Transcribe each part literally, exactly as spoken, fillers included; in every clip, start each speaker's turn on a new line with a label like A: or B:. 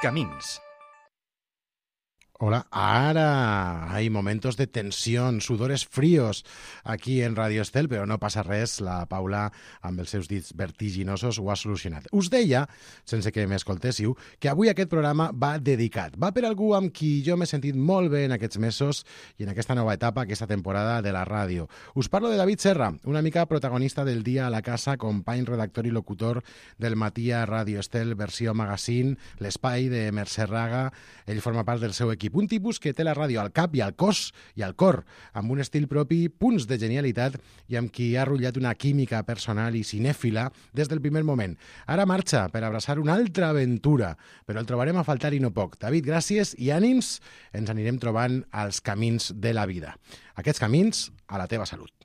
A: Camins.
B: Hola, ara hay momentos de tensión, sudores fríos aquí en Radio Estel, però no passa res, la Paula amb els seus dits vertiginosos ho ha solucionat. Us deia, sense que m'escoltéssiu, que avui aquest programa va dedicat. Va per algú amb qui jo m'he sentit molt bé en aquests mesos i en aquesta nova etapa, aquesta temporada de la ràdio. Us parlo de David Serra, una mica protagonista del Dia a la Casa, company, redactor i locutor del matí a Radio Estel, versió magazine, l'espai de Mercè Raga. Ell forma part del seu equip. Un tipus que té la ràdio al cap i al cos i al cor, amb un estil propi, punts de genialitat i amb qui ha rotllat una química personal i cinèfila des del primer moment. Ara marxa per abraçar una altra aventura, però el trobarem a faltar i no poc. David, gràcies i ànims, ens anirem trobant als camins de la vida. Aquests camins a la teva salut.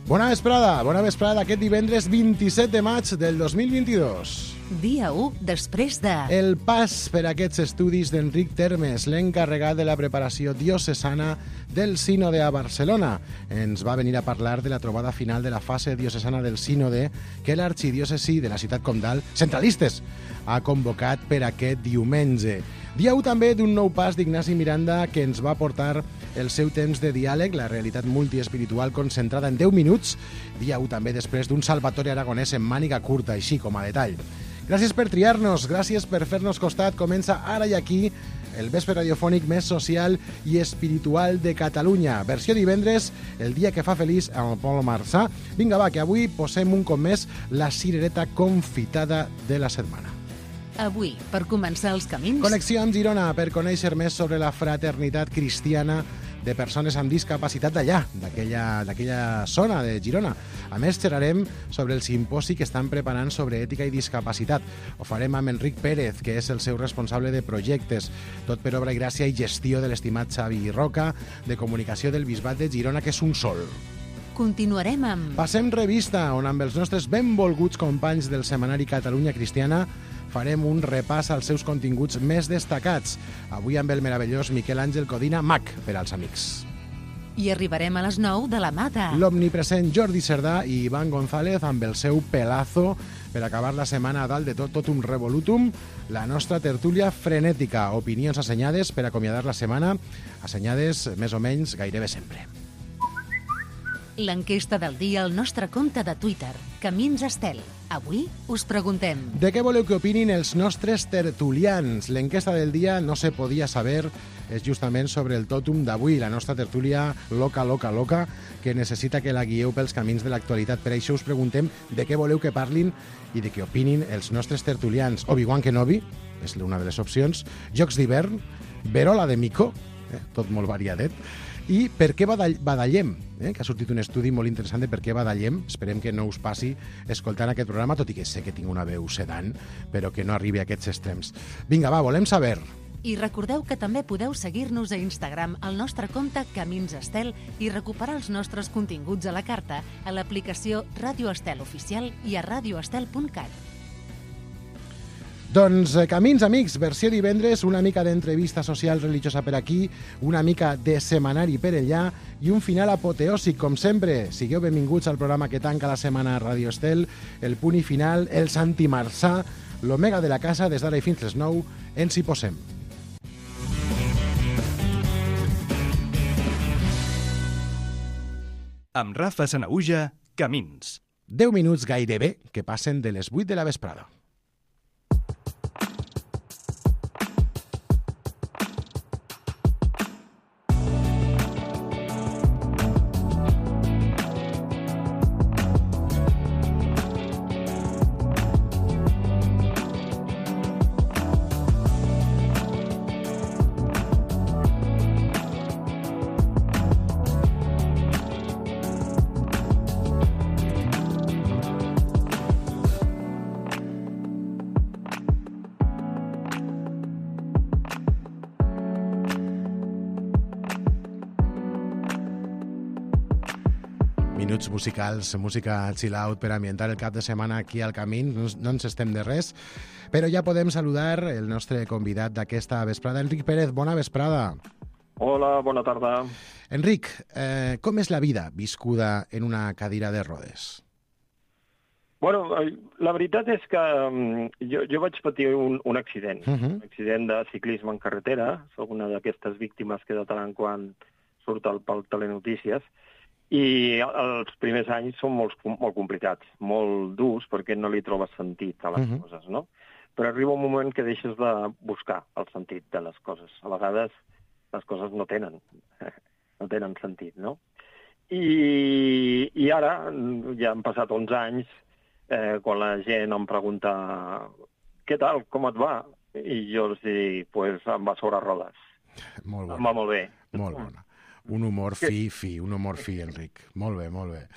B: Bona vesprada, bona vesprada aquest divendres vint-i-set de maig del dos mil vint-i-dos.
C: Dia u després de...
B: El pas per aquests estudis d'Enric Termes, l'encarregat de la preparació diocesana del Sínode a Barcelona. Ens va venir a parlar de la trobada final de la fase diocesana del Sínode que l'arxidiòcesi de la ciutat comtal, centralistes, ha convocat per aquest diumenge. Dia u també d'un nou pas d'Ignasi Miranda que ens va portar el seu temps de diàleg, la realitat multiespiritual concentrada en deu minuts. Dia u també després d'un Salvatore Aragonès en màniga curta, així com a detall. Gràcies per triar-nos, gràcies per fer-nos costat. Comença ara i aquí el vespre radiofònic més social i espiritual de Catalunya. Versió divendres, el dia que fa feliç amb Pol Marçà. Vinga, va, que avui posem un cop més la cirereta confitada de la setmana.
C: Avui, per començar els camins...
B: Connexió amb Girona per conèixer més sobre la fraternitat cristiana de persones amb discapacitat d'allà, d'aquella d'aquella zona de Girona. A més, xerrarem sobre el simposi que estan preparant sobre ètica i discapacitat. Ho farem amb Enric Pérez, que és el seu responsable de projectes, tot per obra i gràcia i gestió de l'estimat Xavi Roca, de comunicació del Bisbat de Girona, que és un sol.
C: Continuarem amb...
B: Passem revista, on amb els nostres benvolguts companys del setmanari Catalunya Cristiana farem un repàs als seus continguts més destacats. Avui amb el meravellós Miquel Àngel Codina, Mac, per als amics.
C: I arribarem a les nou de la mà de...
B: L'omnipresent Jordi Cerdà i Ivan González amb el seu pelazo per acabar la setmana a dalt de tot, tot un revolutum, la nostra tertúlia frenètica, opinions assenyades per acomiadar la setmana, assenyades més o menys gairebé sempre.
C: L'enquesta del dia al nostre compte de Twitter, Camins Estel. Avui us preguntem...
B: De què voleu que opinin els nostres tertulians? L'enquesta del dia no se podia saber, és justament sobre el tòtum d'avui, la nostra tertúlia loca, loca, loca, que necessita que la guieu pels camins de l'actualitat. Per això us preguntem de què voleu que parlin i de què opinin els nostres tertulians. Obi-Wan Kenobi, és una de les opcions, Jocs d'hivern, Verola de Mico, eh, tot molt variadet, i per què badall badallem, eh? que ha sortit un estudi molt interessant de per què badallem. Esperem que no us passi escoltant aquest programa, tot i que sé que tinc una veu sedant, però que no arribi a aquests extrems. Vinga, va, volem saber.
C: I recordeu que també podeu seguir-nos a Instagram al nostre compte Camins Estel i recuperar els nostres continguts a la carta a l'aplicació Ràdio Estel Oficial i a radioestel punt cat.
B: Doncs camins, amics, versió divendres, una mica d'entrevista social religiosa per aquí, una mica de setmanari per allà i un final apoteòsic, com sempre. Sigueu benvinguts al programa que tanca la setmana a Radio Estel, el punt i final, el Santi Marçà, l'Omega de la casa, des d'ara i fins les nou, ens hi posem.
A: Amb Rafa Sanaüja, Camins.
B: Deu minuts gairebé que passen de les vuit de la vesprada. Minuts musicals, música chill out per ambientar el cap de setmana aquí al camí, no, no ens estem de res, però ja podem saludar el nostre convidat d'aquesta vesprada, Enric Pérez. Bona vesprada.
D: Hola, bona tarda.
B: Enric, eh, com és la vida viscuda en una cadira de rodes?
D: Bueno, la veritat és que um, jo, jo vaig patir un, un accident, uh -huh. un accident de ciclisme en carretera. Soc una d'aquestes víctimes que de tant en quant surt al, pel Telenotícies. I els primers anys són molt, molt complicats, molt durs, perquè no li trobes sentit a les uh -huh. coses, no? Però arriba un moment que deixes de buscar el sentit de les coses. A vegades les coses no tenen, no tenen sentit, no? I, i ara, ja han passat onze anys, eh, quan la gent em pregunta què tal, com et va? I jo els dic, pues em va sobre rodes.
B: Molt bona.
D: Em va molt bé.
B: Molt bona. Un humor fi, fi, un humor fi, Enric. Molt bé, molt bé.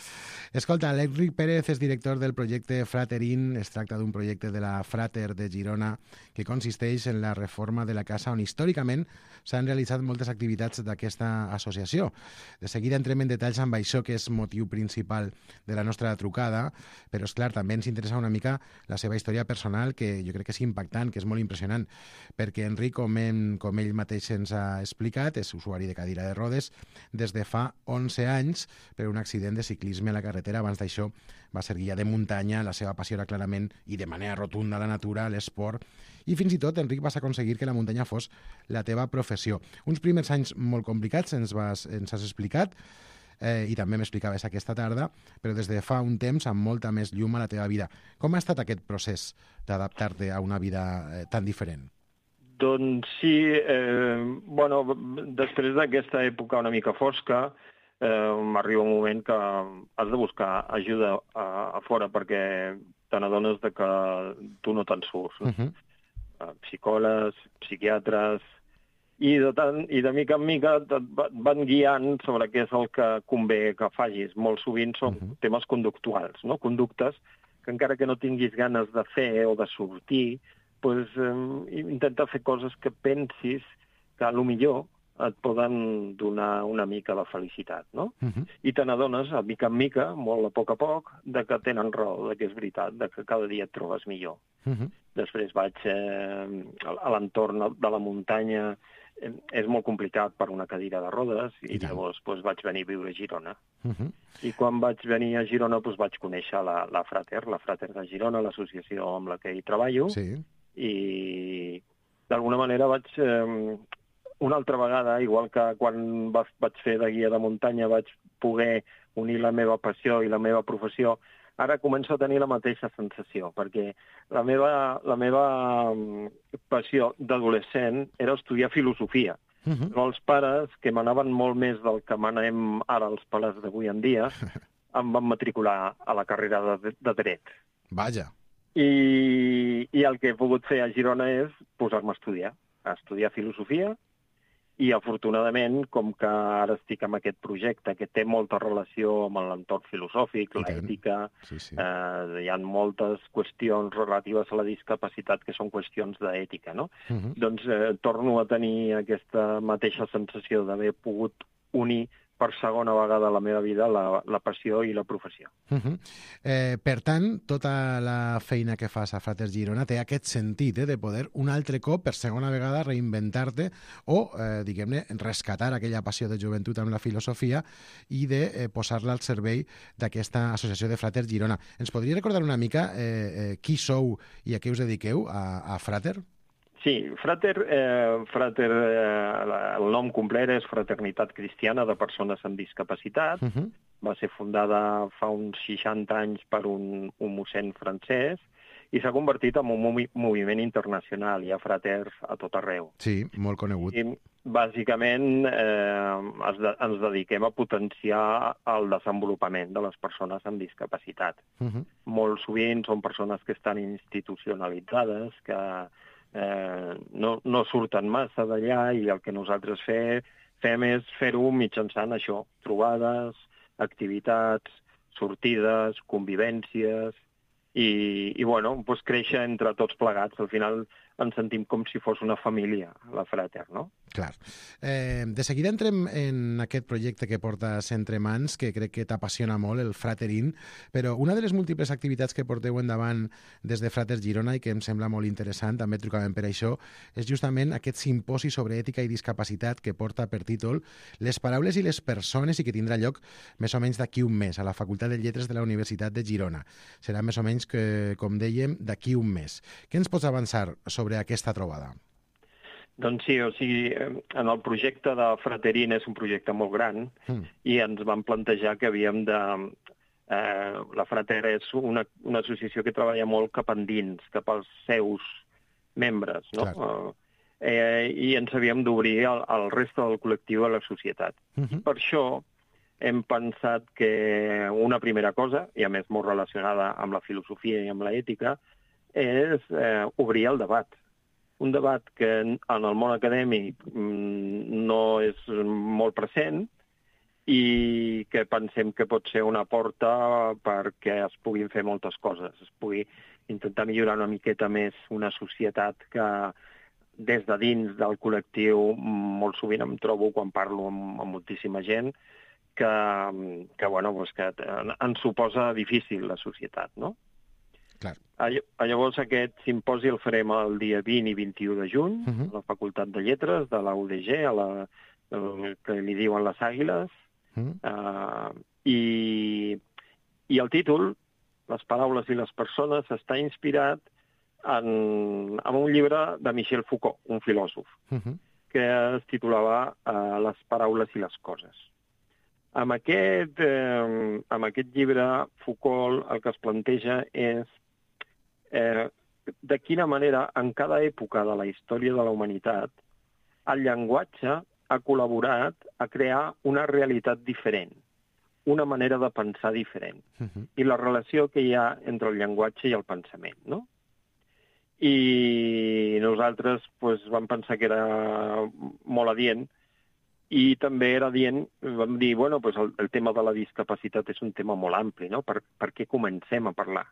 B: Escolta, l'Enric Pérez és director del projecte Fraterin. Es tracta d'un projecte de la Frater de Girona que consisteix en la reforma de la casa on històricament s'han realitzat moltes activitats d'aquesta associació. De seguida entrem en detalls amb això, que és motiu principal de la nostra trucada, però, és clar, també ens interessa una mica la seva història personal, que jo crec que és impactant, que és molt impressionant, perquè Enric, com, hem, com ell mateix ens ha explicat, és usuari de cadira de rodes des de fa onze anys per un accident de ciclisme a la carretera. Abans d'això va ser guia de muntanya, la seva passió era clarament i de manera rotunda la natura, l'esport, i fins i tot, Enric, vas aconseguir que la muntanya fos la teva professió. Uns primers anys molt complicats, ens, vas, ens has explicat, eh, i també m'explicaves aquesta tarda, però des de fa un temps amb molta més llum a la teva vida. Com ha estat aquest procés d'adaptar-te a una vida eh, tan diferent?
D: Doncs sí, eh, bueno, després d'aquesta època una mica fosca, eh, m'arriba un moment que has de buscar ajuda a, a fora, perquè te n'adones de que tu no te'n surts. No? Uh-huh. Psicòlegs, psiquiatres, i de, tant, i de mica en mica et van guiant sobre què és el que convé que facis. Molt sovint són uh-huh. temes conductuals, no? Conductes que encara que no tinguis ganes de fer o de sortir, pues, eh, intenta fer coses que pensis que a lo millor et poden donar una mica de felicitat, no? Uh-huh. I te n'adones, a mica en mica, molt a poc a poc, de que tenen raó, de que és veritat, de que cada dia et trobes millor. Uh-huh. Després vaig eh, a l'entorn de la muntanya, eh, és molt complicat per una cadira de rodes, i, I llavors pues, vaig venir a viure a Girona. Uh-huh. I quan vaig venir a Girona pues, vaig conèixer la, la Frater, la Frater de Girona, l'associació amb la que hi treballo, sí. I d'alguna manera vaig, eh, una altra vegada, igual que quan vaig fer de guia de muntanya, vaig poder unir la meva passió i la meva professió, ara començo a tenir la mateixa sensació, perquè la meva, la meva passió d'adolescent era estudiar filosofia. Uh-huh. Però els pares, que m'anaven molt més del que m'anem ara els pares d'avui en dia, em van matricular a la carrera de, de dret.
B: Vaja.
D: I, I el que he pogut fer a Girona és posar-me a estudiar, a estudiar filosofia, i afortunadament, com que ara estic amb aquest projecte que té molta relació amb l'entorn filosòfic, l'ètica, sí, sí. eh, hi ha moltes qüestions relatives a la discapacitat que són qüestions d'ètica, no? Uh-huh. Doncs eh, torno a tenir aquesta mateixa sensació d'haver pogut unir per segona vegada a la meva vida la, la passió i la professió.
B: Uh-huh. eh, per tant, tota la feina que fas a Frater Girona té aquest sentit eh, de poder un altre cop, per segona vegada, reinventar-te o, eh, diguem-ne, rescatar aquella passió de joventut amb la filosofia i de eh, posar-la al servei d'aquesta associació de Frater Girona. Ens podria recordar una mica eh, eh, qui sou i a què us dediqueu a, a Frater?
D: Sí, Frater, eh, Frater eh, el nom complet és Fraternitat Cristiana de Persones amb Discapacitat. Uh-huh. Va ser fundada fa uns seixanta anys per un, un mossèn francès i s'ha convertit en un movi- moviment internacional. Hi ha fraters a tot arreu.
B: Sí, molt conegut.
D: I, bàsicament, eh, ens, de, ens dediquem a potenciar el desenvolupament de les persones amb discapacitat. Uh-huh. Molt sovint són persones que estan institucionalitzades, que Eh, no, no surten massa d'allà i el que nosaltres fe, fem és fer-ho mitjançant això, trobades, activitats, sortides, convivències i, i bueno, doncs créixer entre tots plegats. Al final ens sentim com si fos una família, la Frater, no?
B: Clar. Eh, de seguida entrem en aquest projecte que portes entre mans, que crec que t'apassiona molt, el Fraterin, però una de les múltiples activitats que porteu endavant des de Frater Girona i que em sembla molt interessant, també trucàvem per això, és justament aquest simposi sobre ètica i discapacitat que porta per títol Les paraules i les persones i que tindrà lloc més o menys d'aquí un mes a la Facultat de Lletres de la Universitat de Girona. Serà més o menys, que, com dèiem, d'aquí un mes. Què ens pots avançar sobre aquesta trobada?
D: Doncs sí, o sigui, en el projecte de Fraterin és un projecte molt gran mm. i ens vam plantejar que havíem de... Eh, la Frater és una, una associació que treballa molt cap endins, cap als seus membres, no? Eh, I ens havíem d'obrir al, al reste del col·lectiu a la societat. Mm-hmm. Per això hem pensat que una primera cosa, i a més molt relacionada amb la filosofia i amb l'ètica, és eh, obrir el debat. Un debat que en el món acadèmic no és molt present i que pensem que pot ser una porta perquè es puguin fer moltes coses. Es pugui intentar millorar una miqueta més una societat que des de dins del col·lectiu molt sovint em trobo quan parlo amb, amb moltíssima gent que, que, bueno, doncs que ens suposa difícil la societat, no?
B: Clar.
D: Llavors aquest simposi el farem el dia vint i vint-i-u de juny uh-huh. a la Facultat de Lletres de la U D G, a la, que li diuen les Àguiles, uh-huh. uh, i, i el títol, Les paraules i les persones, està inspirat en, en un llibre de Michel Foucault, un filòsof, uh-huh. que es titulava uh, Les paraules i les coses. Amb aquest, eh, amb aquest llibre, Foucault el que es planteja és Eh, de quina manera, en cada època de la història de la humanitat, el llenguatge ha col·laborat a crear una realitat diferent, una manera de pensar diferent, uh-huh. i la relació que hi ha entre el llenguatge i el pensament, no? I nosaltres pues, vam pensar que era molt adient, i també era adient, vam dir, bueno, pues el, el tema de la discapacitat és un tema molt ampli, no? Per, per què comencem a parlar?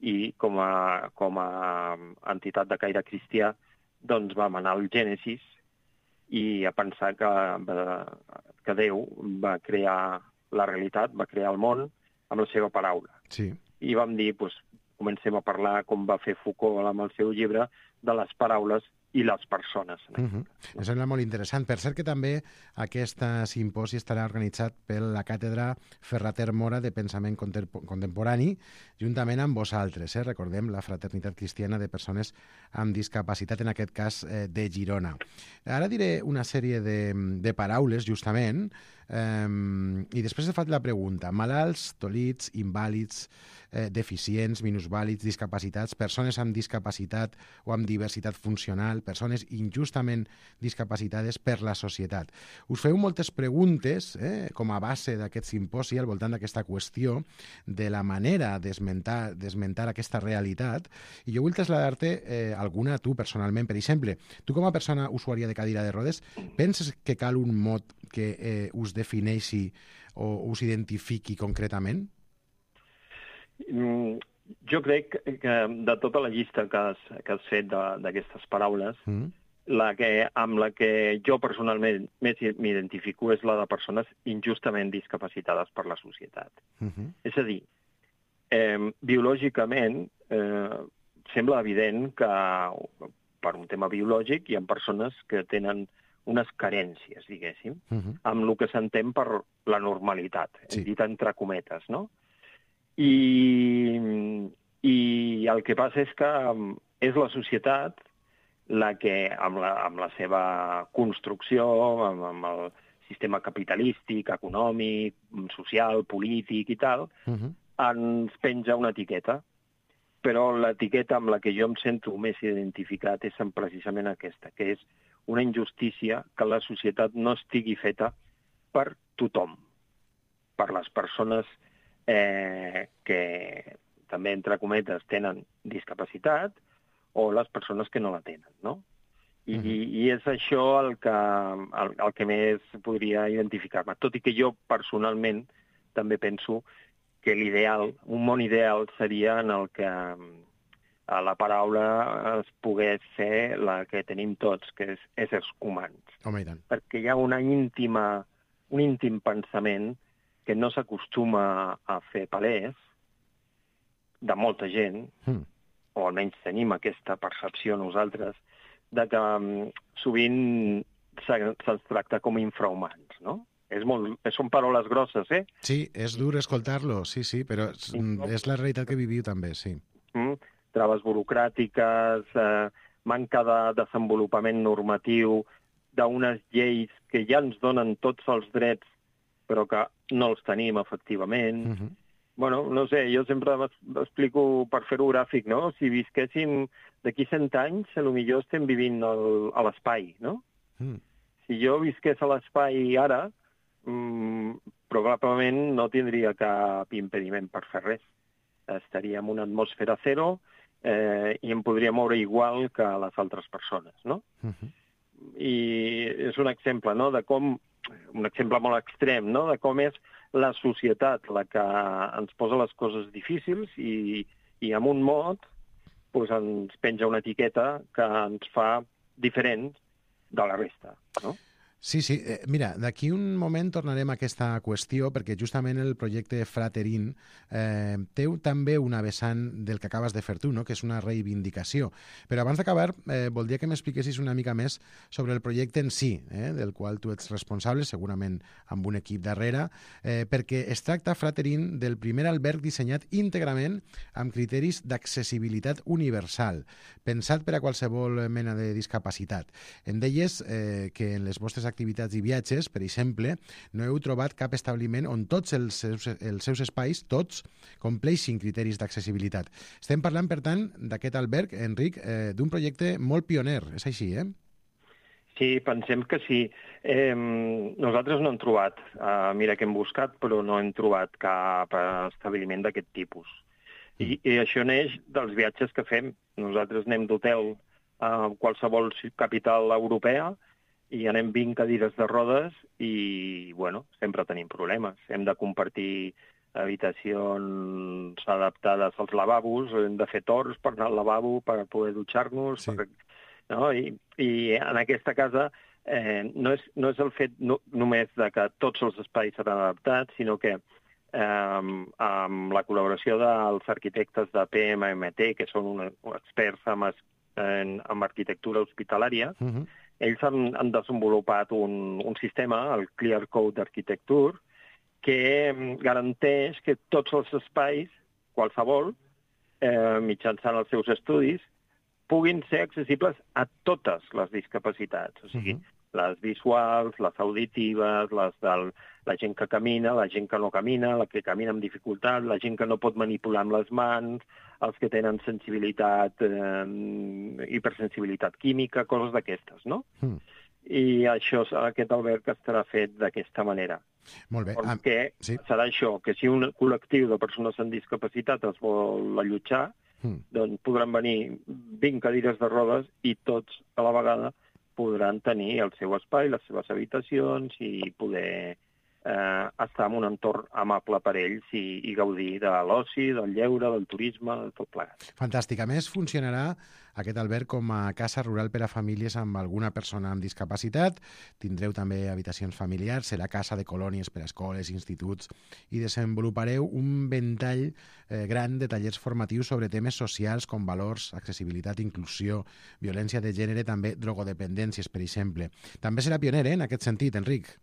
D: I com a, com a entitat de caire cristià, doncs vam anar al Gènesis i a pensar que, que Déu va crear la realitat, va crear el món amb la seva paraula.
B: Sí.
D: I vam dir, doncs, comencem a parlar, com va fer Foucault amb el seu llibre, de les paraules i les persones.
B: Uh-huh. Em sembla molt interessant. Per cert que també aquest simposi estarà organitzat per la Càtedra Ferrater Mora de Pensament Contemporani, juntament amb vosaltres, eh? Recordem, la Fraternitat Cristiana de Persones amb Discapacitat, en aquest cas eh, de Girona. Ara diré una sèrie de, de paraules, justament, eh, i després he fet la pregunta. Malalts, tolits, invàlids, eh, deficients, minusvàlids, discapacitats, persones amb discapacitat o amb diversitat funcional, persones injustament discapacitades per la societat. Us feu moltes preguntes, eh, com a base d'aquest simposi, al voltant d'aquesta qüestió, de la manera d'esmentar d'esmentar aquesta realitat, i jo vull traslladar-te eh, alguna a tu personalment. Per exemple, tu com a persona usuària de cadira de rodes, penses que cal un mot que eh, us defineixi o us identifiqui concretament?
D: Mm. Jo crec que de tota la llista que has, que has fet d'aquestes paraules, mm. la que, amb la que jo personalment més m'identifico és la de persones injustament discapacitades per la societat. Mm-hmm. És a dir, eh, biològicament eh, sembla evident que per un tema biològic hi ha persones que tenen unes carències, diguéssim, mm-hmm. amb el que s'entén per la normalitat, sí. dit entre cometes, no? I, i el que passa és que és la societat la que, amb la, amb la seva construcció, amb, amb el sistema capitalístic, econòmic, social, polític i tal, uh-huh. ens penja una etiqueta. Però l'etiqueta amb la que jo em sento més identificat és precisament aquesta, que és una injustícia que la societat no estigui feta per tothom, per les persones Eh, que també, entre cometes, tenen discapacitat o les persones que no la tenen, no? I, uh-huh. i és això el que, el, el que més podria identificar-me. Tot i que jo, personalment, també penso que l'ideal, un món ideal, seria en el que la paraula es pogués ser la que tenim tots, que és éssers humans.
B: Home, i tant.
D: Perquè hi ha una íntima, un íntim pensament que no s'acostuma a fer palès de molta gent, mm. o almenys tenim aquesta percepció nosaltres, de que um, sovint se'ns tracta com infrahumans, no? És molt, són paraules grosses, eh?
B: Sí, és dur escoltar-lo, sí, sí, però és, és la realitat que viviu també, sí.
D: Mm, traves burocràtiques, eh, manca de desenvolupament normatiu, d'unes lleis que ja ens donen tots els drets, però que no els tenim efectivament. Mm-hmm. Bueno, no sé, jo sempre m'explico per fer-ho gràfic, no? Si visquéssim d'aquí cent anys, potser estem vivint el, a l'espai, no? Mm. Si jo visqués a l'espai ara, Mm, probablement no tindria cap impediment per fer res. Estaria en una atmosfera zero eh, i em podria moure igual que les altres persones, no? Uh-huh. I és un exemple, no?, de com, un exemple molt extrem, no?, de com és la societat la que ens posa les coses difícils i, i amb un mot pues, ens penja una etiqueta que ens fa diferents de la resta, no?
B: Sí, sí. Eh, mira, d'aquí un moment tornarem a aquesta qüestió perquè justament el projecte Fraterin eh, té també una vessant del que acabes de fer tu, no?, que és una reivindicació. Però abans d'acabar, eh, voldria que m'expliquessis una mica més sobre el projecte en si, eh, del qual tu ets responsable, segurament amb un equip darrere, eh, perquè es tracta, Fraterin, del primer alberg dissenyat íntegrament amb criteris d'accessibilitat universal, pensat per a qualsevol mena de discapacitat. Em deies eh, que en les vostres activitats i viatges, per exemple, no heu trobat cap establiment on tots els seus, els seus espais, tots, compleixin criteris d'accessibilitat. Estem parlant, per tant, d'aquest alberg, Enric, eh, d'un projecte molt pioner, és així, eh?
D: Sí, pensem que sí. Eh, nosaltres no hem trobat, eh, mira que hem buscat, però no hem trobat cap establiment d'aquest tipus. I, I això neix dels viatges que fem. Nosaltres anem d'hotel a qualsevol capital europea i anem vint cadires de rodes i, bueno, sempre tenim problemes. Hem de compartir habitacions adaptades als lavabos, hem de fer torns per anar al lavabo, per poder dutxar-nos, sí. per, no? I, I en aquesta casa eh, no, és, no és el fet no, només de que tots els espais seran adaptats, sinó que eh, amb la col·laboració dels arquitectes de P M M T, que són un, experts en, en, en arquitectura hospitalària, uh-huh. ells han, han desenvolupat un, un sistema, el Clear Code d'Arquitecture, que garanteix que tots els espais, qualsevol, eh, mitjançant els seus estudis, puguin ser accessibles a totes les discapacitats. O sigui, uh-huh. les visuals, les auditives, les de la gent que camina, la gent que no camina, la que camina amb dificultat, la gent que no pot manipular amb les mans, els que tenen sensibilitat, eh, hipersensibilitat química, coses d'aquestes, no? Mm. I això, aquest alberg estarà fet d'aquesta manera.
B: Molt bé.
D: Perquè
B: ah, sí.
D: serà això, que si un col·lectiu de persones amb discapacitat es vol allotjar, mm. doncs podran venir vint cadires de rodes i tots a la vegada podran tenir el seu espai, les seves habitacions i poder eh, estar en un entorn amable per ells i, i gaudir de l'oci, del lleure, del turisme, de tot plegat.
B: Fantàstic. A més, funcionarà aquest alberg com a casa rural per a famílies amb alguna persona amb discapacitat. Tindreu també habitacions familiars, serà casa de colònies per a escoles, instituts, i desenvolupareu un ventall eh, gran de tallers formatius sobre temes socials com valors, accessibilitat, inclusió, violència de gènere, també drogodependències, per exemple. També serà pioner, eh, en aquest sentit, Enric.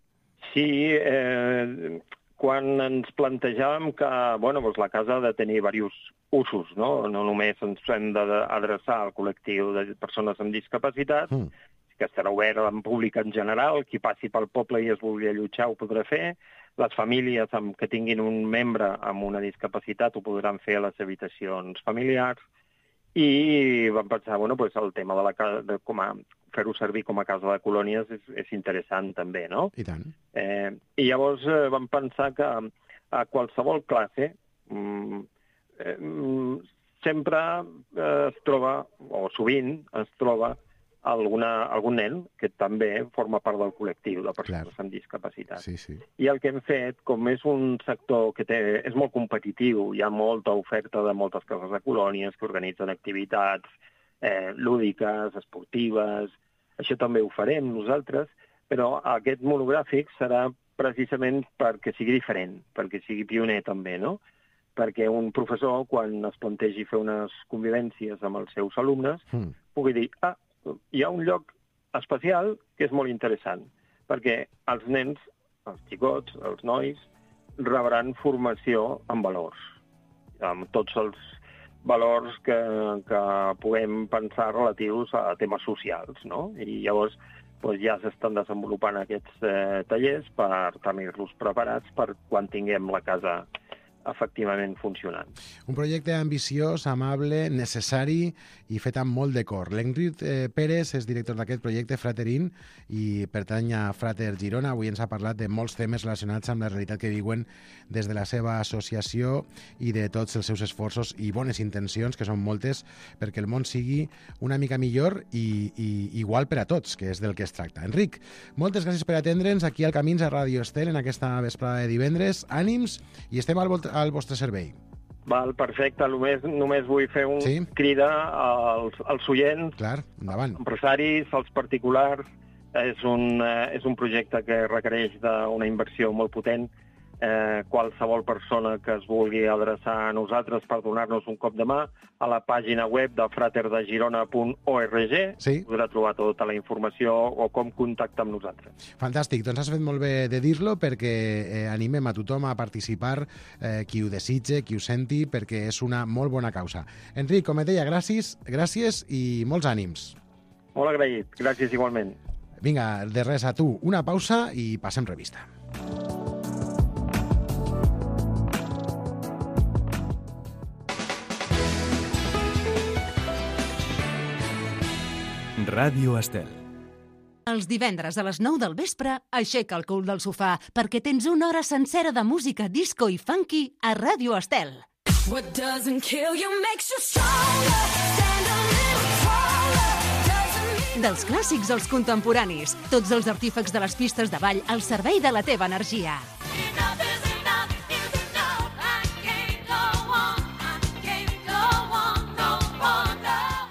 D: Sí, eh, quan ens plantejàvem que bueno, doncs la casa ha de tenir diversos usos, no? No només ens hem d'adreçar al col·lectiu de persones amb discapacitat, mm. que estarà obert en públic en general, qui passi pel poble i es vulgui allotjar ho podrà fer, les famílies amb, que tinguin un membre amb una discapacitat ho podran fer a les habitacions familiars, i vam pensar, bueno, pues el tema de la casa, de com a fer-ho servir com a casa de colònies és, és interessant també, no?
B: I tant.
D: Eh, I llavors eh, vam pensar que a qualsevol classe mm, eh, sempre eh, es troba, o sovint es troba, alguna, algun nen que també forma part del col·lectiu de persones
B: Clar.
D: amb discapacitat.
B: Sí, sí.
D: I el que hem fet, com és un sector que té, és molt competitiu, hi ha molta oferta de moltes cases de colònies que organitzen activitats eh, lúdiques, esportives, això també ho farem nosaltres, però aquest monogràfic serà precisament perquè sigui diferent, perquè sigui pioner també, no? Perquè un professor, quan es plantegi fer unes convivències amb els seus alumnes, mm. pugui dir, ah, hi ha un lloc especial que és molt interessant, perquè els nens, els xicots, els nois, rebran formació en valors, amb tots els valors que, que puguem pensar relatius a temes socials, no? I llavors doncs ja s'estan desenvolupant aquests eh, tallers per tenir-los preparats per quan tinguem la casa efectivament funcionant.
B: Un projecte ambiciós, amable, necessari i fet amb molt de cor. L'Enric eh, Pérez és director d'aquest projecte Fraterin i pertany a Frater Girona. Avui ens ha parlat de molts temes relacionats amb la realitat que viuen des de la seva associació i de tots els seus esforços i bones intencions, que són moltes, perquè el món sigui una mica millor i, i igual per a tots, que és del que es tracta. Enric, moltes gràcies per atendre'ns aquí al Camins a Ràdio Estel en aquesta vesprada de divendres. Ànims i estem al, al vostre servei.
D: Val, perfecte. Només, només vull fer un
B: sí?
D: crida als, als oients,
B: Clar, endavant.
D: empresaris, als particulars. És un, eh, és un projecte que requereix d'una inversió molt potent. Eh, qualsevol persona que es vulgui adreçar a nosaltres per donar-nos un cop de mà a la pàgina web de frater de girona punt org
B: sí.
D: podrà trobar tota la informació o com contactar amb nosaltres.
B: Fantàstic, doncs has fet molt bé de dir-lo perquè eh, animem a tothom a participar, eh, qui ho desitge, qui ho senti, perquè és una molt bona causa. Enric, com et deia, gràcies, gràcies i molts ànims.
D: Molt agraït, gràcies igualment.
B: Vinga, de res a tu, una pausa i passem revista.
A: Ràdio Estel.
C: Els divendres a les nou del vespre, aixeca el cul del sofà perquè tens una hora sencera de música disco i funky a Ràdio Estel. What doesn't kill you makes you stronger. Stand a little taller. Dels clàssics als contemporanis, tots els artífecs de les pistes de ball al servei de la teva energia.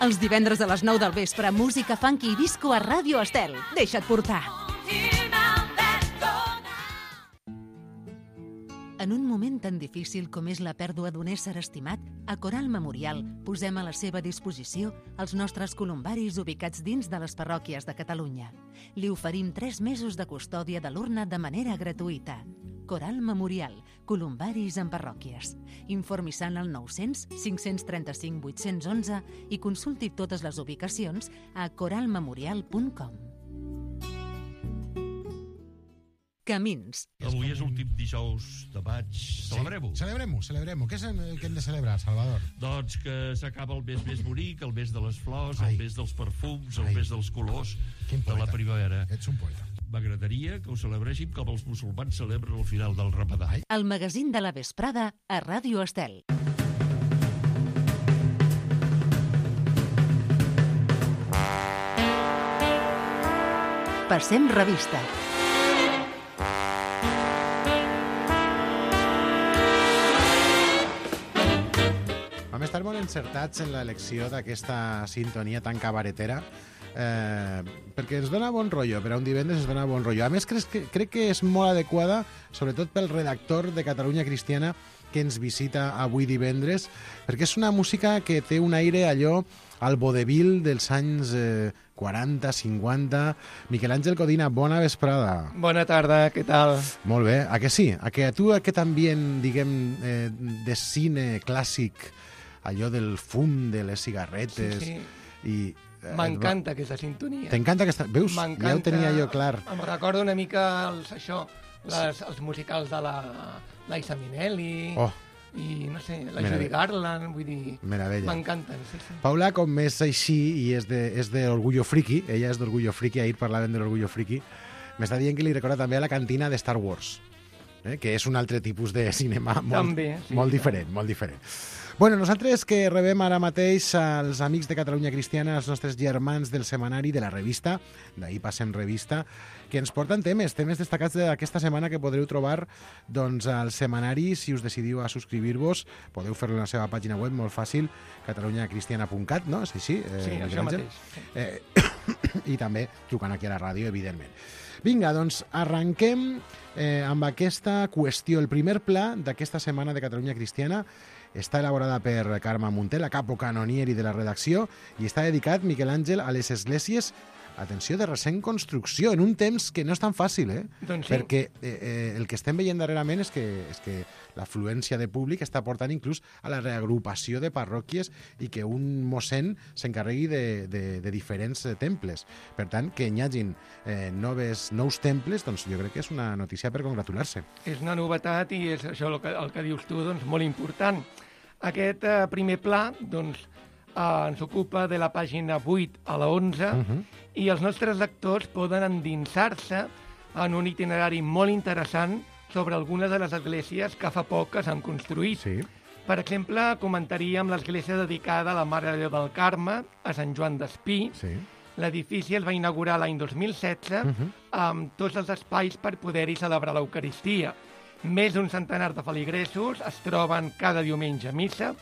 C: Els divendres a les nou del vespre, música funky i disco a Ràdio Estel. Deixa't portar. En un moment tan difícil com és la pèrdua d'un ésser estimat, a Coral Memorial posem a la seva disposició els nostres columbaris ubicats dins de les parròquies de Catalunya. Li oferim tres mesos de custòdia de l'urna de manera gratuïta. Coral Memorial, columbaris en parròquies. Informi-se'n al nou-cents, cinc-cents trenta-cinc, vuit-cents onze i consulti totes les ubicacions a coral memorial punt com. Camins.
E: Avui és l'últim dijous de maig. Celebrem-ho.
B: Sí, celebrem-ho, celebrem-ho. Què, és, què hem de celebrar, Salvador?
E: Doncs que s'acaba el mes més bonic, el mes de les flors,
B: Ai.
E: el mes dels perfums, el
B: Ai.
E: mes dels colors
B: Quin
E: de la
B: poeta.
E: primavera.
B: Ets un poeta.
E: M'agradaria que ho celebréssim com els musulmans celebren el final del Ramadà.
C: El magazín de la vesprada a Ràdio Estel. Passem revista.
B: Vam estar molt encertats en l'elecció d'aquesta sintonia tan cabaretera, eh, perquè ens dona bon rotllo, per a un divendres ens dona bon rotllo. A més, crec que, crec que és molt adequada, sobretot pel redactor de Catalunya Cristiana que ens visita avui divendres, perquè és una música que té un aire allò al vodevil dels anys eh, quaranta, cinquanta. Miquel Àngel Codina, bona vesprada.
F: Bona tarda, què tal?
B: Molt bé, a que sí? A que a tu aquest ambient, diguem, eh, de cine clàssic, allò del fum de les cigarretes...
F: Sí, sí.
B: I
F: M'encanta aquesta sintonia.
B: T'encanta aquesta... Veus? Ja ho tenia jo clar.
F: Em recorda una mica els, això, les, els musicals de la Liza Minnelli,
B: Oh,
F: i no sé, la
B: Meravella.
F: Judy Garland, vull dir...
B: meravella.
F: M'encanten, sí, sí.
B: Paula, com és així i és de, és de Orgullo Friki, ella és d'Orgullo Friki, ahir parlaven de l'Orgullo Friki, m'està dient que li recorda també a la cantina de Star Wars, eh? Que és un altre tipus de cinema molt,
F: També, sí,
B: molt
F: sí.
B: diferent, molt diferent. Bueno, nosaltres que rebem ara mateix als amics de Catalunya Cristiana, els nostres germans del setmanari de la revista, d'ahir passem revista, que ens porten temes, temes destacats d'aquesta setmana que podreu trobar doncs, al setmanari. Si us decidiu a subscriure-vos, podeu fer-lo en la seva pàgina web, molt fàcil, catalunya cristiana punt cat, no? Sí, sí, eh,
F: sí, això mateix.
B: Eh, I també trucant aquí a la ràdio, evidentment. Vinga, doncs arrenquem eh, amb aquesta qüestió. El primer pla d'aquesta setmana de Catalunya Cristiana està elaborada per Carme Munté, la capo canonieri de la redacció, i està dedicat, Miquel Àngel, a les esglésies, atenció, de recent construcció, en un temps que no és tan fàcil, eh?
F: Doncs sí.
B: Perquè eh, eh, el que estem veient darrerament és que, és que l'afluència de públic està portant inclús a la reagrupació de parròquies i que un mossèn s'encarregui de, de, de diferents eh, temples. Per tant, que hi hagin eh, noves, nous temples, doncs jo crec que és una notícia per congratular-se.
F: És una novetat i és això el que, el que dius tu, doncs, molt important. Aquest eh, primer pla, doncs, eh, ens ocupa de la pàgina vuit a la onze uh -huh. i els nostres lectors poden endinsar-se en un itinerari molt interessant sobre algunes de les esglésies que fa poc que s'han construït.
B: Sí.
F: Per exemple, comentaríem l'església dedicada a la Mare de Déu del Carme, a Sant Joan d'Espí.
B: Sí.
F: L'edifici es va inaugurar l'any dos mil setze uh -huh. amb tots els espais per poder-hi celebrar l'Eucaristia. Més d'un centenar de feligresos es troben cada diumenge a missa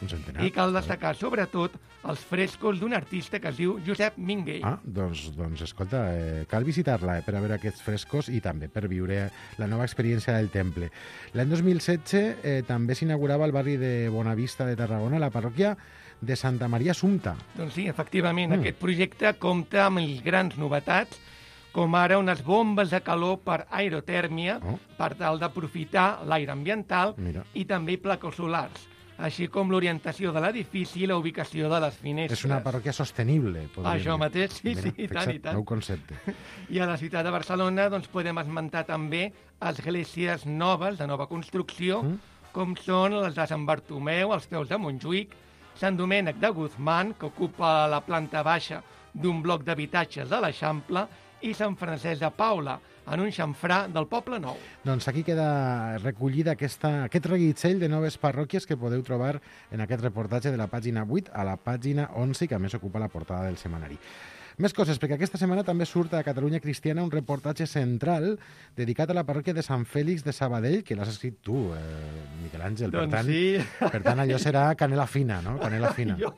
F: i cal destacar, sobretot, els frescos d'un artista que es diu Josep Minguell.
B: Ah, doncs, doncs escolta, eh, cal visitar-la eh, per a veure aquests frescos i també per viure la nova experiència del temple. L'any dos mil setze eh, també s'inaugurava al barri de Bonavista de Tarragona la parròquia de Santa Maria Assumpta.
F: Doncs sí, efectivament,
B: Mm.
F: aquest projecte compta amb les grans novetats, com ara unes bombes de calor per aerotèrmia,
B: Oh.
F: per tal d'aprofitar l'aire ambiental,
B: Mira.
F: i també plaques solars, així com l'orientació de l'edifici i la ubicació de les finestres.
B: És una parròquia sostenible, podríem
F: Això
B: dir.
F: mateix, sí,
B: Mira,
F: sí, i tant,
B: fixa't,
F: i tant.
B: nou concepte.
F: I a la ciutat de Barcelona doncs, podem esmentar també esglésies noves, de nova construcció,
B: Mm.
F: com són les de Sant Bartomeu, als peus de Montjuïc, Sant Domènec de Guzmán, que ocupa la planta baixa d'un bloc d'habitatges de l'Eixample, i Sant Francesc de Paula, en un xamfrà del Poble Nou.
B: Doncs aquí queda recollida aquesta, aquest reguitzell de noves parròquies que podeu trobar en aquest reportatge de la pàgina vuit a la pàgina onze, que a més ocupa la portada del setmanari. Més coses, perquè aquesta setmana també surt a Catalunya Cristiana un reportatge central dedicat a la parròquia de Sant Fèlix de Sabadell, que l'has escrit tu, eh, Miquel Àngel.
F: Doncs
B: per tant,
F: sí.
B: Per tant, allò serà canela fina, no? Canela fina.
F: Jo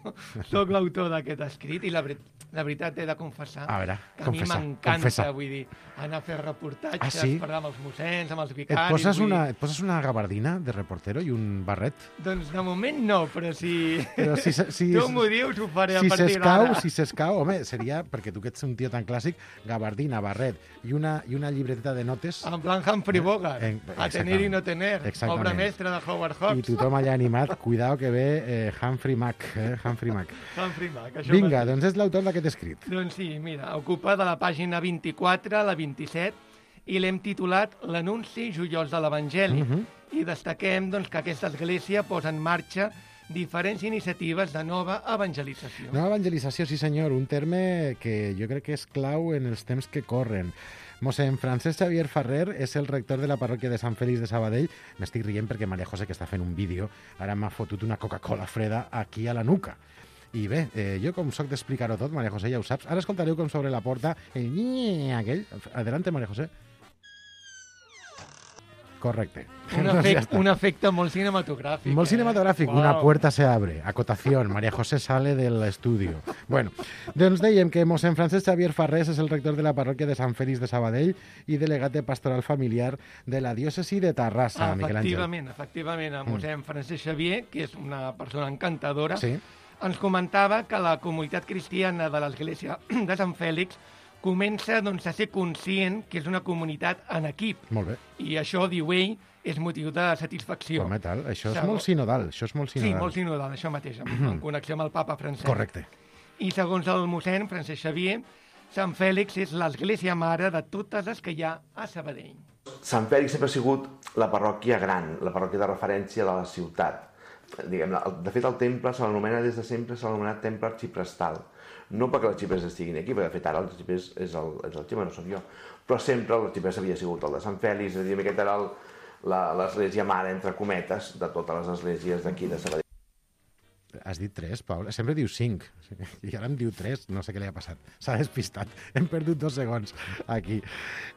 F: sóc l'autor d'aquest escrit i la, ver la veritat he de confessar
B: A veure,
F: que
B: confessa,
F: a mi m'encanta,
B: confessa.
F: vull dir, anar a fer reportatges,
B: Ah, sí?
F: parlar amb els mossens, amb els
B: Et
F: vicaris...
B: poses,
F: vull dir-
B: una, et poses una gabardina de reportero i un barret?
F: Doncs de moment no, però si,
B: Però si, si,
F: tu m'ho dius, ho faré a
B: si
F: partir
B: s'escau,
F: d'ara.
B: si s'escau, home, seria, perquè tu que ets un tio tan clàssic, gabardina, barret i una, i una llibreteta de notes
F: En plan Humphrey Bogart,
B: Eh,
F: a tener i no tener,
B: Exactament.
F: obra mestra de Howard
B: i
F: Hawks.
B: tothom allà animat. Cuidao que ve eh, Humphrey Mac. Eh, Humphrey Mac.
F: Humphrey Mac, això
B: Vinga,
F: mateix.
B: doncs és l'autor d'aquest escrit.
F: Doncs sí, mira, ocupa de la pàgina vint-i-quatre a la vint-i-set i l'hem titulat L'anunci joiós de l'Evangeli.
B: Mhm.
F: I destaquem doncs, que aquesta església posa en marxa diferents iniciatives de nova evangelització.
B: Nova evangelització, sí senyor, un terme que jo crec que és clau en els temps que corren. Mossèn Francesc Xavier Ferrer és el rector de la parròquia de Sant Fèlix de Sabadell. M'estic rient perquè Maria José, que està fent un vídeo, ara m'ha fotut una Coca-Cola freda aquí a la nuca. I bé, eh, jo com soc d'explicar-ho tot, Maria José, ja ho saps. Ara escoltareu com sobre la porta el nyi aquell. Adelante, Maria José. Correcte.
F: Un,
B: Doncs ja
F: efecte,
B: està.
F: un efecte molt cinematogràfic.
B: Molt
F: eh?
B: cinematográfico,
F: Uau.
B: una puerta se abre, acotación, María José sale del estudio. Bueno, doncs dèiem que mossèn Francesc Xavier Farrés és el rector de la parròquia de Sant Fèlix de Sabadell i delegat de pastoral familiar de la diòcesi de Terrassa,
F: Ah,
B: Miquel Àngel.
F: efectivament, efectivament, el mossèn Francesc Xavier, que és una persona encantadora,
B: Sí,
F: ens comentava que la comunitat cristiana de l'església de Sant Fèlix comença doncs, a ser conscient que és una comunitat en equip.
B: molt bé.
F: I això, diu ell, és motiu de satisfacció.
B: Home, tal, això és
F: Segon-
B: molt sinodal, això és molt
F: Sí,
B: sinodal.
F: molt sinodal, això mateix, en, en connexió amb el papa Francesc.
B: Correcte.
F: I segons el mossèn Francesc Xavier, Sant Fèlix és l'església mare de totes les que hi ha a Sabadell.
G: Sant Fèlix sempre ha sigut la parròquia gran, la parròquia de referència de la ciutat. Diguem, de fet, el temple se l'anomena des de sempre, s'ha anomenat temple arxiprestal. No perquè els arxipres estiguin aquí, perquè de fet ara els arxipres és el, és el xipre, no soc jo, però sempre l'arxipres havia sigut el de Sant Fèlix, és a dir, aquest era l'església mare, entre cometes, de totes les esglésies d'aquí de Sabadell.
B: has dit tres, Paula? Sempre diu cinc. I ara em diu tres, no sé què li ha passat. S'ha despistat. Hem perdut dos segons aquí.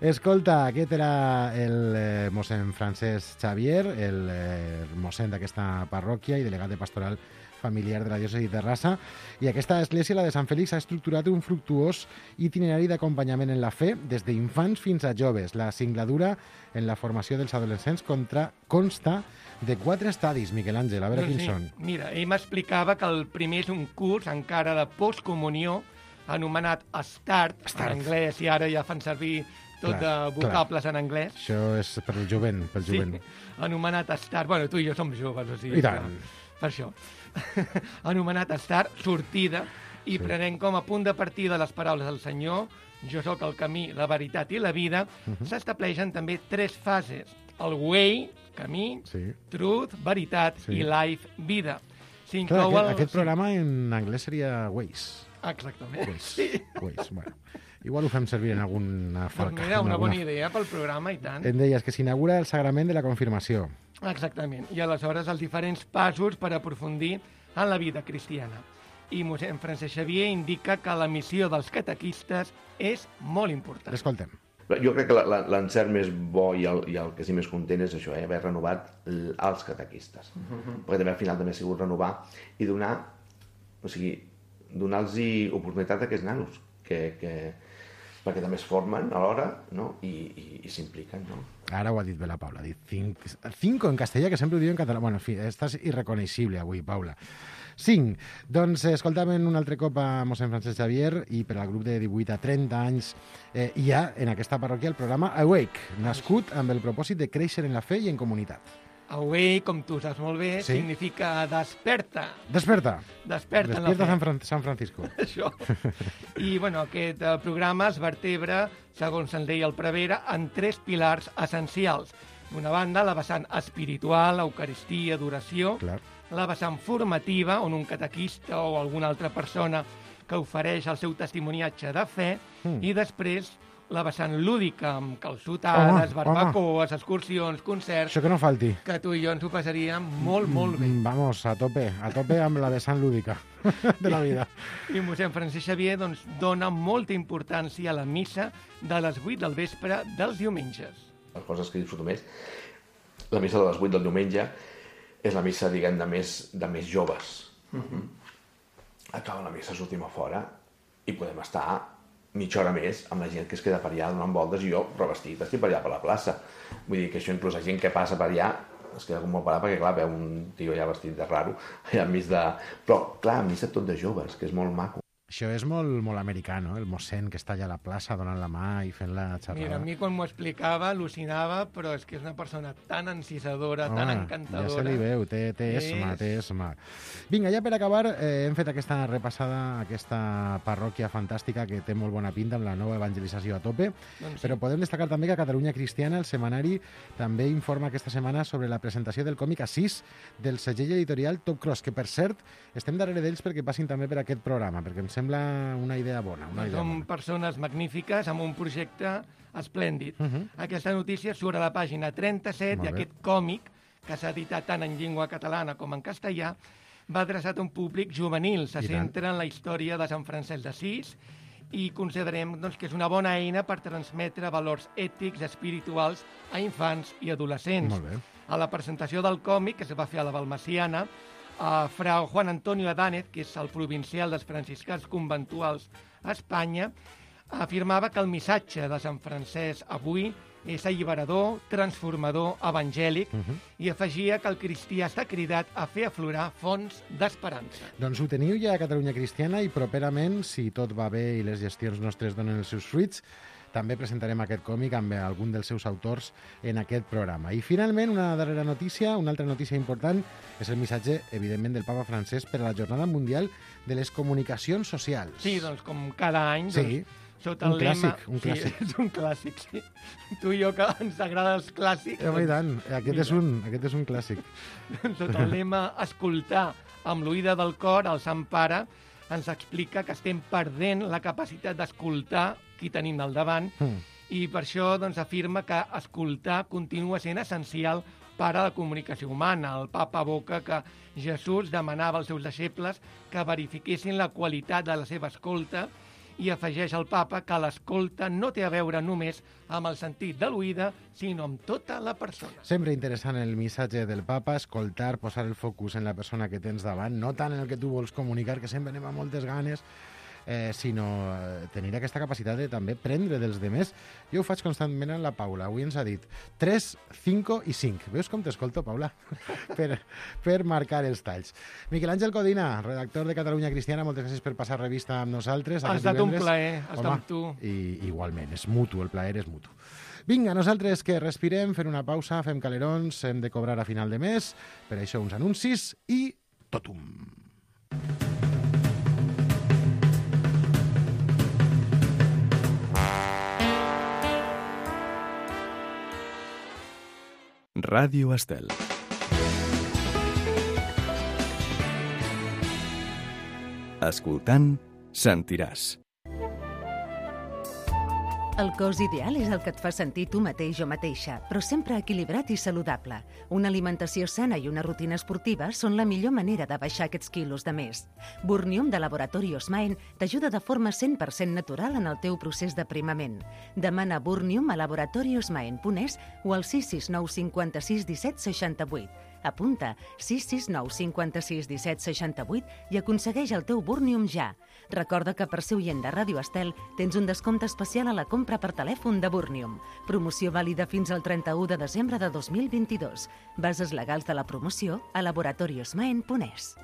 B: Escolta, aquest era el eh, mossèn Francesc Xavier, el eh, mossèn d'aquesta parròquia i delegat de pastoral familiar de la diòcesi de Terrassa, i aquesta església, la de Sant Fèlix, ha estructurat un fructuós itinerari d'acompanyament en la fe des d'infants fins a joves. La singladura en la formació dels adolescents contra, consta de quatre estadis, Miquel Àngel, a veure
F: Doncs
B: quins
F: sí.
B: són.
F: Mira, ell m'explicava que el primer és un curs encara de postcomunió anomenat Start,
B: Start.
F: en anglès, i ara ja fan servir tot
B: Clar,
F: de vocables en anglès.
B: Això és per el jovent, pel
F: Sí,
B: jovent.
F: anomenat Start. Bueno, tu i jo som joves, o sigui...
B: I tant.
F: Que, per això. Anomenat Start, sortida, i
B: Sí.
F: prenent com a punt de partida les paraules del Senyor, jo sóc el camí, la veritat i la vida,
B: Mhm.
F: s'estableixen també tres fases. El way, camí,
B: Sí.
F: truth, veritat,
B: Sí.
F: i life, vida.
B: Clar,
F: S'inclou
B: aquest,
F: el...
B: aquest programa en anglès seria Waze.
F: Exactament.
B: Waze.
F: Sí.
B: Waze. Bueno, igual ho fem servir en alguna
F: Doncs
B: falca.
F: mira,
B: en
F: una
B: alguna-
F: bona idea pel programa, i tant.
B: Em deies que s'inaugura el sagrament de la confirmació.
F: Exactament. I aleshores els diferents passos per aprofundir en la vida cristiana. I mossèn Francesc Xavier indica que la missió dels catequistes és molt important.
B: L'escoltem.
G: Jo crec que la- la- l'encert més bo i el, i el que sí més content és això, eh? haver renovat l- els catequistes. Uh-huh. Perquè també al final també ha sigut renovar i donar, o sigui, donar-los oportunitat a aquests nanos, que, que, perquè també es formen alhora, no? I, i, i s'impliquen, no?
B: Ara ho ha dit bé la Paula, ha dit cinc, cinco en castellà, que sempre ho diu en català. Bueno, en fi, estàs irreconeixible avui, Paula. Cinc. Doncs eh, escoltàvem un altre cop a mossèn Francesc Xavier i per al grup de divuit a trenta anys eh, hi ha en aquesta parròquia el programa Awake, nascut amb el propòsit de créixer en la fe i en comunitat.
F: Awake, com tu saps molt bé,
B: Sí.
F: significa desperta.
B: Desperta!
F: Desperta, en la
B: Despierta
F: fe.
B: San, Fran San Francisco.
F: Això. I, bueno, aquest eh, programa es vertebra, segons se'n deia el prevere, en tres pilars essencials. D'una banda, la vessant espiritual, eucaristia, adoració.
B: Clar.
F: La vessant formativa, on un catequista o alguna altra persona que ofereix el seu testimoniatge de fe.
B: Mm.
F: I després, la vessant lúdica, amb calçotades,
B: Home,
F: barbacoes, excursions, concerts,
B: Això que no falti.
F: que tu i jo ens ho passaríem molt, molt bé.
B: Mm, Vamos, a tope, a tope amb la vessant lúdica de la vida.
F: I mossèn Francesc Xavier doncs, dona molta importància a la missa de les vuit del vespre dels diumenges.
G: Les coses que disfruto més. La missa de les vuit del diumenge és la missa, diguem, de més, de més joves. Uh-huh. Acaba la missa, sortim a fora i podem estar mitja hora més amb la gent que es queda per allà donant voltes i jo, revestit, estic per allà per la plaça. Vull dir que això inclús la gent que passa per allà es queda com molt parat perquè, clar, veu un tio allà vestit de raro, allà enmig de... Però, clar, missa tot de joves, que és molt maco.
B: Això és molt, molt americà, no? El mossèn que està allà a la plaça donant la mà i fent la xerrada.
F: Mira, a mi quan m'ho explicava al·lucinava, però és que és una persona tan encisadora,
B: Home,
F: tan
B: ja
F: encantadora.
B: se li veu, té, té esma,
F: És-
B: té esma. Vinga, ja per acabar, eh, hem fet aquesta repassada, aquesta parròquia fantàstica que té molt bona pinta amb la nova evangelització a tope,
F: Doncs sí.
B: però podem destacar també que a Catalunya Cristiana el setmanari també informa aquesta setmana sobre la presentació del còmic Assís del segell editorial Top Cross, que per cert estem darrere d'ells perquè passin també per aquest programa, perquè em sembla una idea bona. Una idea
F: Som
B: bona.
F: persones magnífiques amb un projecte esplèndid.
B: Uh -huh.
F: Aquesta notícia surt a la pàgina trenta-set
B: Molt
F: i
B: bé.
F: aquest còmic, que s'ha editat tant en llengua catalana com en castellà, va adreçat a un públic juvenil. Se
B: I tant.
F: centra en la història de Sant Francesc d'Assís i considerem doncs, que és una bona eina per transmetre valors ètics, espirituals a infants i adolescents.
B: Molt bé.
F: A la presentació del còmic, que es va fer a la Balmasiana, a frau Juan Antonio Adánez, que és el provincial dels franciscans conventuals a Espanya, afirmava que el missatge de Sant Francesc avui és alliberador, transformador, evangèlic,
B: Uh -huh.
F: i afegia que el cristià està cridat a fer aflorar fonts d'esperança.
B: Doncs ho teniu ja a Catalunya Cristiana i properament, si tot va bé i les gestions nostres donen els seus fruits, també presentarem aquest còmic amb algun dels seus autors en aquest programa. I finalment, una darrera notícia, una altra notícia important, és el missatge, evidentment, del papa Francesc per a la Jornada Mundial de les Comunicacions Socials.
F: Sí, doncs com cada any,
B: Sí,
F: doncs, sota
B: un
F: el lema...
B: clàssic, un clàssic.
F: Sí, és un clàssic, sí. Tu i jo, que ens agraden els clàssics...
B: Eh, home, i tant, aquest és,
F: mira.
B: un, aquest és un clàssic.
F: Sota el lema escoltar amb l'oïda del cor, el Sant Pare ens explica que estem perdent la capacitat d'escoltar qui tenim al davant
B: Mm.
F: i per això doncs, afirma que escoltar continua sent essencial pare de la comunicació humana. El papa evoca que Jesús demanava als seus deixebles que verifiquessin la qualitat de la seva escolta i afegeix al papa que l'escolta no té a veure només amb el sentit de l'oïda, sinó amb tota la persona.
B: Sempre interessant el missatge del papa, escoltar, posar el focus en la persona que tens davant, no tant en el que tu vols comunicar, que sempre anem amb moltes ganes, eh, sinó eh, tenir aquesta capacitat de també prendre dels demés. Jo ho faig constantment amb la Paula. Avui ens ha dit tres, cinc i cinc. Veus com t'escolto, Paula? per, per marcar els talls. Miquel Àngel Codina, redactor de Catalunya Cristiana, moltes gràcies per passar revista amb nosaltres.
F: Ha estat un plaer estar
B: Home,
F: amb tu.
B: I, igualment, és mutu, el plaer és mutu. Vinga, nosaltres que respirem, fem una pausa, fem calerons, hem de cobrar a final de mes, per això uns anuncis i totum.
A: Ràdio Estel. Escoltant, sentiràs.
C: El cos ideal és el que et fa sentir tu mateix o mateixa, però sempre equilibrat i saludable. Una alimentació sana i una rutina esportiva són la millor manera de baixar aquests quilos de més. Burnium de Laboratori Osmaen t'ajuda de forma cent per cent natural en el teu procés d'aprimament. Demana Burnium a laboratori osmaen punt es o al sis sis nou cinquanta-sis disset seixanta-vuit. Apunta sis sis nou cinquanta-sis disset seixanta-vuit i aconsegueix el teu Burnium ja. Recorda que per ser oient de Ràdio Estel tens un descompte especial a la compra per telèfon de Burnium. Promoció vàlida fins al trenta-u de desembre de dos mil vint-i-dos. Bases legals de la promoció a laboratori osmaen punt es.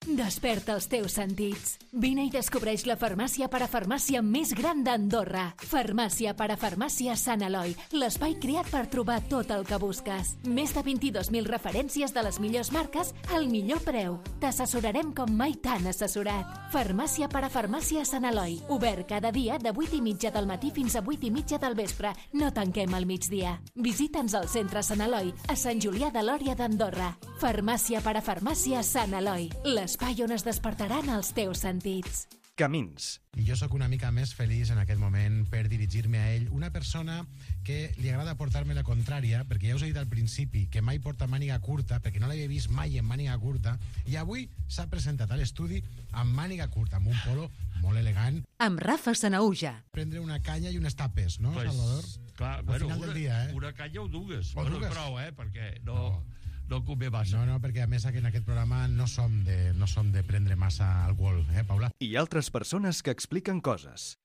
H: Desperta els teus sentits. Vine i descobreix la farmàcia parafarmàcia més gran d'Andorra. Farmàcia parafarmàcia Sant Eloi, l'espai creat per trobar tot el que busques. Més de vint-i-dos mil referències de les millors marques al millor preu. T'assessorarem com mai t'han assessorat. Farmàcia parafarmàcia Sant Eloi, obert cada dia de vuit i mitja del matí fins a vuit i mitja del vespre. No tanquem al migdia. Visita'ns al centre Sant Eloi, a Sant Julià de Lòria d'Andorra. Farmàcia parafarmàcia Sant Eloi, l'espai on es despertaran els teus sentits.
A: Camins.
B: I jo sóc una mica més feliç en aquest moment per dirigir-me a ell, una persona que li agrada portar-me la contrària, perquè ja us he dit al principi que mai porta màniga curta, perquè no l'havia vist mai en màniga curta, i avui s'ha presentat a l'estudi amb màniga curta, amb un polo molt elegant.
C: Amb Rafa Sanaúja.
B: Prendre una canya i unes tapes, no,
E: Pues,
B: Salvador?
E: clar,
B: Al
E: bueno,
B: final del
E: una,
B: dia, eh?
E: una canya o dues.
B: O
E: bueno,
B: dues.
E: prou, eh? Perquè no,
B: No.
E: no convé massa.
B: No, no, perquè a més en aquest programa no som de, no som de prendre massa alcohol, eh, Paula?
A: I altres persones que expliquen coses.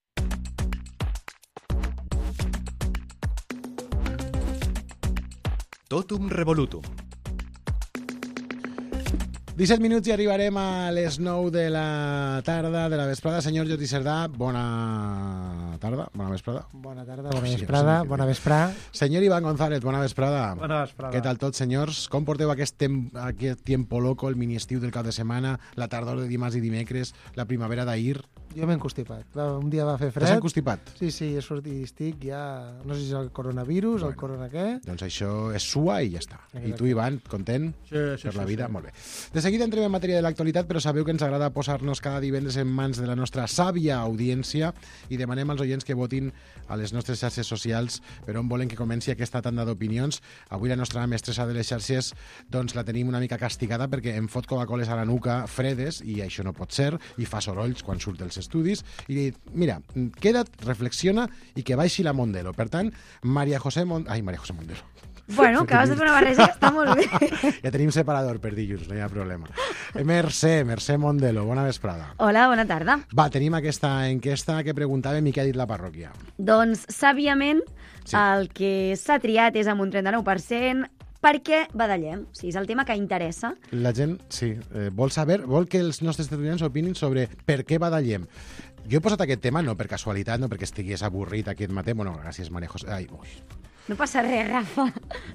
A: Totum revolutum.
B: disset minuts i arribarem a les nou de la tarda, de la vesprada. Senyor Jordi Cerdà, bona tarda, bona vesprada.
I: Bona tarda, bona
B: Sí,
I: vesprada,
B: sí, sí.
I: bona vesprada.
B: Senyor Iván González, bona vesprada.
I: Bona vesprada.
B: Què tal tot, senyors? Com porteu aquest, tem aquest tiempo loco, el mini-estiu del cap de setmana, la tardor de dimarts i dimecres, la primavera d'ahir?
I: Jo m'he encostipat. Va, un dia va fer
B: T'has
I: fred.
B: encostipat?
I: Sí, sí, he sortit i estic ja... No sé si és el coronavirus,
B: Bueno.
I: el corona què.
B: Doncs això és sua i ja està. I tu, Ivan, content
I: Sí, sí,
B: per la
I: sí,
B: vida?
I: sí.
B: Molt bé. De seguida entrem en matèria de l'actualitat, però sabeu que ens agrada posar-nos cada divendres en mans de la nostra sàvia audiència i demanem als oients que votin a les nostres xarxes socials per on volen que comenci aquesta tanda d'opinions. Avui la nostra mestressa de les xarxes doncs la tenim una mica castigada perquè em fot Coca-Coles a la nuca fredes i això no pot ser, i fa sorolls quan surt dels estudis, i li dit, mira, queda't, reflexiona i que baixi la Mondelo. Per tant, Maria José Mon... Ai, Maria José Mondelo.
J: Bueno, acabes de fer una barreja que està molt bé.
B: Ja tenim separador per dilluns, no hi ha problema. Mercè, Mercè Mondelo, bona vesprada.
J: Hola, bona tarda.
B: Va, tenim aquesta enquesta que preguntàvem i què ha dit la parròquia.
J: Doncs, sàviament,
B: Sí.
J: el que s'ha triat és amb un trenta-nou per cent perquè badallem. O sigui, és el tema que interessa.
B: La gent, sí, eh, vol saber, vol que els nostres estudiants opinin sobre per què badallem. Jo he posat aquest tema no per casualitat, no perquè estigués avorrit aquest matí. Bueno, gràcies, Maria José. Ai, ui.
J: No passa res, Rafa.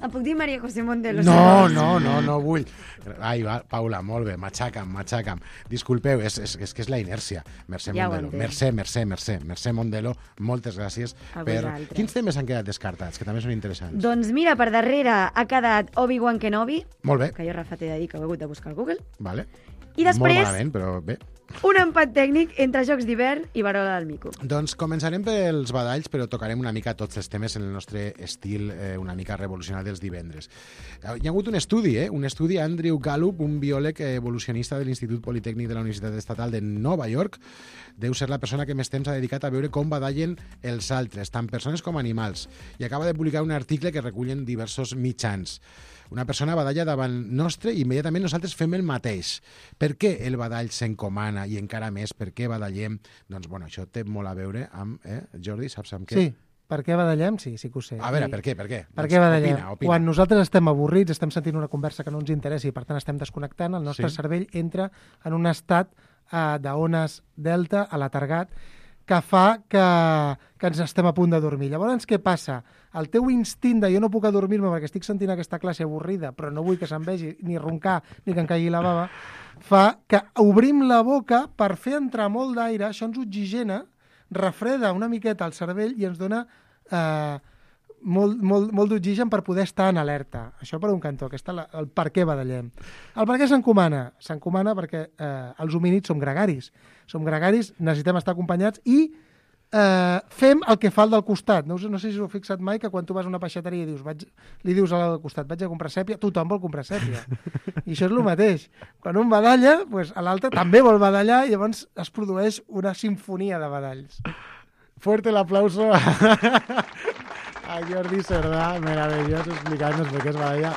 J: Em puc dir Maria José Mondelo?
B: No, no, no, no vull. Ai, va, Paula, molt bé, matxaca'm, matxaca'm. Disculpeu, és, és, és que és la inèrcia. Mercè
J: Ja ho
B: Mondelo.
J: entenc.
B: Mercè, Mercè, Mercè. Mercè Mondelo, moltes gràcies.
J: A
B: per...
J: vosaltres.
B: Quins temes han quedat descartats, que també són interessants?
J: Doncs mira, per darrere ha quedat Obi-Wan Kenobi,
B: Molt bé,
J: que jo, Rafa, t'he de dir que ho he hagut de buscar al Google.
B: vale.
J: I després,
B: Molt malament, però bé.
J: Un empat tècnic entre Jocs d'hivern i Varola del Mico.
B: Doncs començarem pels badalls, però tocarem una mica tots els temes en el nostre estil eh, una mica revolucionari dels divendres. Hi ha hagut un estudi, eh? un estudi Andrew Gallup, un biòleg evolucionista de l'Institut Politécnic de la Universitat Estatal de Nova York. Deu ser la persona que més temps ha dedicat a veure com badallen els altres, tant persones com animals, i acaba de publicar un article que recullen diversos mitjans. Una persona badalla davant nostre i immediatament nosaltres fem el mateix. Per què el badall s'encomana i encara més per què badallem? Doncs, bueno, això té molt a veure amb... Eh? Jordi, saps amb què?
I: Sí, per què badallem? Sí, sí que ho sé.
B: A veure, per què? Per què,
I: per
B: doncs
I: què badallem?
B: Opina, opina.
I: Quan nosaltres estem avorrits, estem sentint una conversa que no ens interessa i per tant estem desconnectant, el nostre
B: Sí.
I: cervell entra en un estat eh, d'ones delta, alatargat, que fa que, que ens estem a punt de dormir. Llavors, què passa? El teu instint de jo no puc adormir-me perquè estic sentint aquesta classe avorrida, però no vull que se'n vegi ni roncar ni que em caigui la bava, fa que obrim la boca per fer entrar molt d'aire, això ens oxigena, refreda una miqueta el cervell i ens dona eh, molt, molt, molt d'oxigen per poder estar en alerta. Això per un cantó, aquest és el per què badallem. El per què s'encomana? S'encomana perquè eh, els homínids som gregaris. Som gregaris, necessitem estar acompanyats i eh, fem el que fa el del costat. No, no sé si us heu fixat mai que quan tu vas a una peixateria i dius, vaig, li dius al costat, vaig a comprar sèpia, tothom vol comprar sèpia. I això és el mateix. Quan un badalla, pues, l'altre també vol badallar i llavors es produeix una sinfonia de badalls.
B: Fuerte el aplauso a Jordi Cerdà, meravellós, explicant-nos per què es badalla.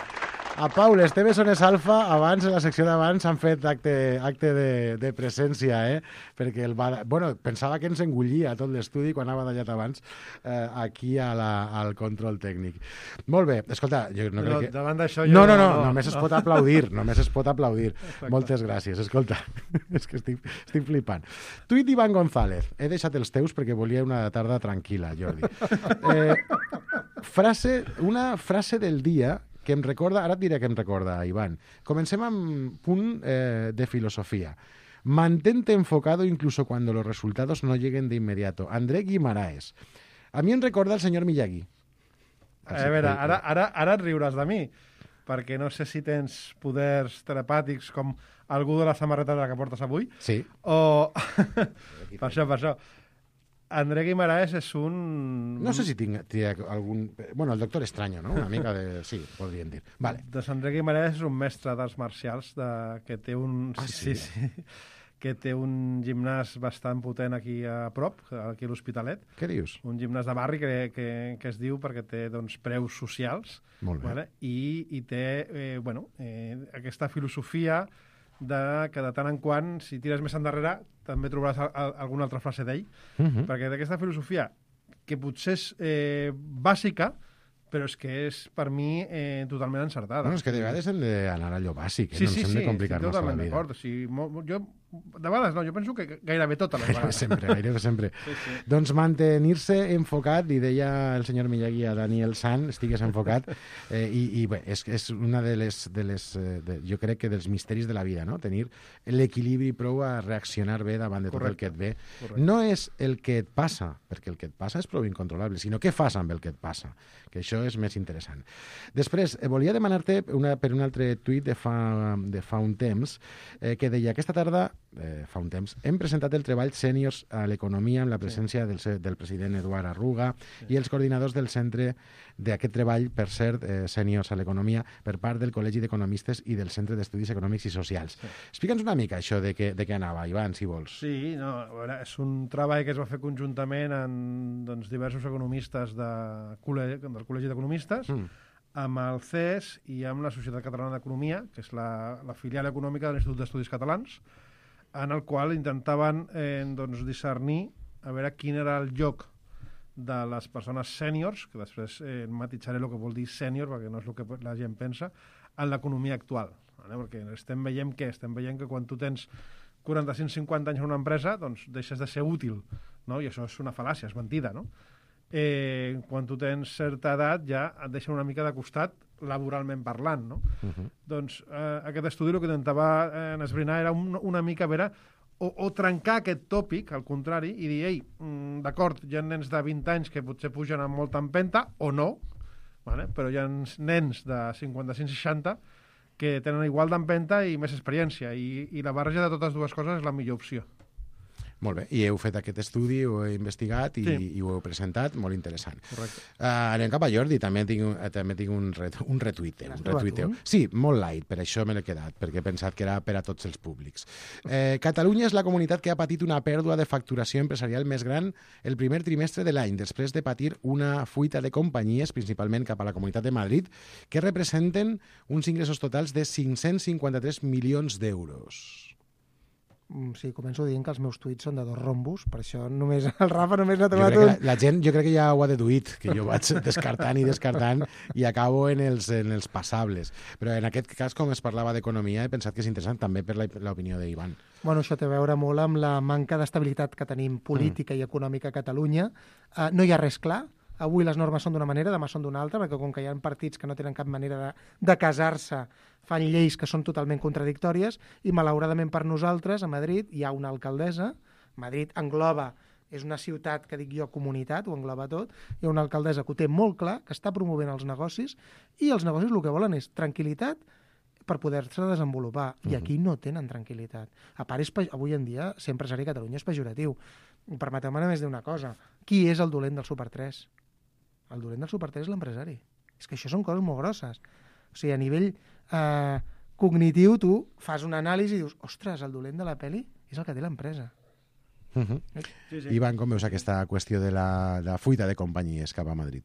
B: A Pau, les teves zones alfa, abans, en la secció d'abans, han fet acte, acte de, de presència, eh? Perquè el bada... bueno, pensava que ens engullia tot l'estudi quan ha badallat abans eh, aquí a la, al control tècnic. Molt bé, escolta, jo no
K: Però
B: crec que...
K: davant d'això jo...
B: No, no, no,
K: no,
B: només
K: no.
B: es pot aplaudir, només es pot aplaudir.
K: Exacte.
B: Moltes gràcies, escolta, és que estic, estic flipant. Tuit d'Ivan González, he deixat els teus perquè volia una tarda tranquil·la, Jordi. Eh, frase, una frase del dia que em recorda, ara et diré que em recorda, Ivan. Comencem amb punt eh, de filosofía. Mantente enfocado incluso cuando los resultados no lleguen de inmediato. André Guimaraes. A mi em recorda el senyor Miyagi.
K: A veure, ara, ara, ara et riuràs de mi, perquè no sé si tens poders telepàtics com algú de la samarreta de la que portes avui.
B: Sí.
K: O... per això, per això. André Guimaraes és un...
B: No sé si tinc, tinc algun... Bueno, el doctor Extraño, no? Una mica de... Sí, podríem dir. Vale.
K: Doncs André Guimaraes és un mestre d'arts marcials de... que té un...
B: Ah,
K: sí, sí, sí. Que té un gimnàs bastant potent aquí a prop, aquí a l'Hospitalet.
B: Què dius?
K: Un gimnàs de barri que, que, que es diu perquè té doncs, preus socials.
B: Molt bé.
K: Vale? I, I té eh, bueno, eh, aquesta filosofia de que de tant en quant, si tires més endarrere, també trobaràs a, a, alguna altra frase d'ell,
B: Uh -huh.
K: perquè d'aquesta filosofia, que potser és eh, bàsica, però és que és, per mi, eh, totalment encertada.
B: Bueno, és que de vegades hem d'anar a allò bàsic, eh?
K: Sí,
B: no
K: sí,
B: ens hem
K: sí,
B: de complicar-nos
K: sí,
B: a la
K: totalment
B: vida.
K: d'acord. O sigui, mo, mo, jo, de vegades no, jo penso que gairebé totes les
B: Gairebé
K: vegades.
B: sempre, gairebé sempre.
K: Sí, sí.
B: Doncs mantenir-se enfocat, li deia el senyor Miyagi a Daniel San, estigues enfocat, eh, i, i bé, és, és una de les, de les eh, de, jo crec que dels misteris de la vida, no? Tenir l'equilibri prou a reaccionar bé davant de tot
K: Correcte.
B: el que et ve.
K: Correcte.
B: No és el que et passa, perquè el que et passa és prou incontrolable, sinó què fas amb el que et passa, que això és més interessant. Després, eh, volia demanar-te una, per un altre tuit de fa, de fa un temps, eh, que deia, aquesta tarda, eh, fa un temps, hem presentat el treball Sèniors a l'Economia amb la presència del, se- del president Eduard Arruga i els coordinadors del centre d'aquest treball, per cert, eh, Sèniors a l'Economia, per part del Col·legi d'Economistes i del Centre d'Estudis Econòmics i Socials. Sí. Explica'ns una mica això de què, de què anava, Ivan, si vols.
K: Sí, no, a veure, és un treball que es va fer conjuntament amb doncs, diversos economistes de, col·legi, del Col·legi d'Economistes,
B: Mm.
K: amb el C E S i amb la Societat Catalana d'Economia, que és la, la filial econòmica de l'Institut d'Estudis Catalans, en el qual intentaven eh, doncs, discernir a veure quin era el lloc de les persones sèniors, que després eh, matisaré el que vol dir sènior, perquè no és el que la gent pensa, en l'economia actual. Vale? Perquè estem veient què? Estem veient que quan tu tens quaranta-cinc cinquanta anys en una empresa, doncs deixes de ser útil, no? I això és una fal·làcia, és mentida, no? Eh, quan tu tens certa edat ja et deixen una mica de costat laboralment parlant, no?
B: Uh -huh.
K: Doncs eh, aquest estudi el que intentava eh, esbrinar era un, una mica a veure o, o trencar aquest tòpic, al contrari, i dir, ei, mm, d'acord, hi ha nens de vint anys que potser pugen amb molta empenta, o no, vale? Però hi ha nens de cinquanta-cinc seixanta que tenen igual d'empenta i més experiència, i, i la barreja de totes dues coses és la millor opció.
B: Molt bé, i heu fet aquest estudi, ho heu investigat i,
K: Sí.
B: i ho heu presentat, molt interessant.
K: Correcte.
B: Uh, anem cap a Jordi, també tinc, uh, també tinc un, ret, un retuiteu.
I: L'has
B: Un
I: trobat
B: retuiteu.
I: un?
B: Sí, molt light, per això me l'he quedat, perquè he pensat que era per a tots els públics. Eh, Catalunya és la comunitat que ha patit una pèrdua de facturació empresarial més gran el primer trimestre de l'any, després de patir una fuita de companyies, principalment cap a la Comunitat de Madrid, que representen uns ingressos totals de cinc-cents cinquanta-tres milions d'euros.
I: Mm, Sí, començo dient que els meus tuits són de dos rombos, per això només el Rafa només n'ha
B: Jo
I: trobat
B: crec que
I: un.
B: la, la gent, jo crec que ja ho ha deduït, que jo vaig descartant i descartant i acabo en els, en els passables. Però en aquest cas, com es parlava d'economia, he pensat que és interessant també per la- l'opinió d'Ivan.
I: Bueno, això té a veure molt amb la manca d'estabilitat que tenim política i econòmica a Catalunya. Uh, no hi ha res clar. Avui les normes són d'una manera, demà són d'una altra, perquè com que hi ha partits que no tenen cap manera de, de casar-se, fan lleis que són totalment contradictòries, i malauradament per nosaltres, a Madrid, hi ha una alcaldessa, Madrid engloba, és una ciutat que dic jo comunitat, ho engloba tot, hi ha una alcaldessa que ho té molt clar, que està promovent els negocis, i els negocis el que volen és tranquil·litat per poder-se desenvolupar, i aquí no tenen tranquil·litat. A part, és, pe- avui en dia, ser empresari a Catalunya és pejoratiu. Permeteu-me només dir una cosa. Qui és el dolent del Super tres? El dolent del Super tres és l'empresari. És que això són coses molt grosses. O sigui, a nivell eh, cognitiu, tu fas una anàlisi i dius, ostres, el dolent de la peli és el que té l'empresa.
B: Uh -huh.
K: Sí, sí.
B: Ivan, com veus aquesta qüestió de la, de la fuita de companyies cap a Madrid?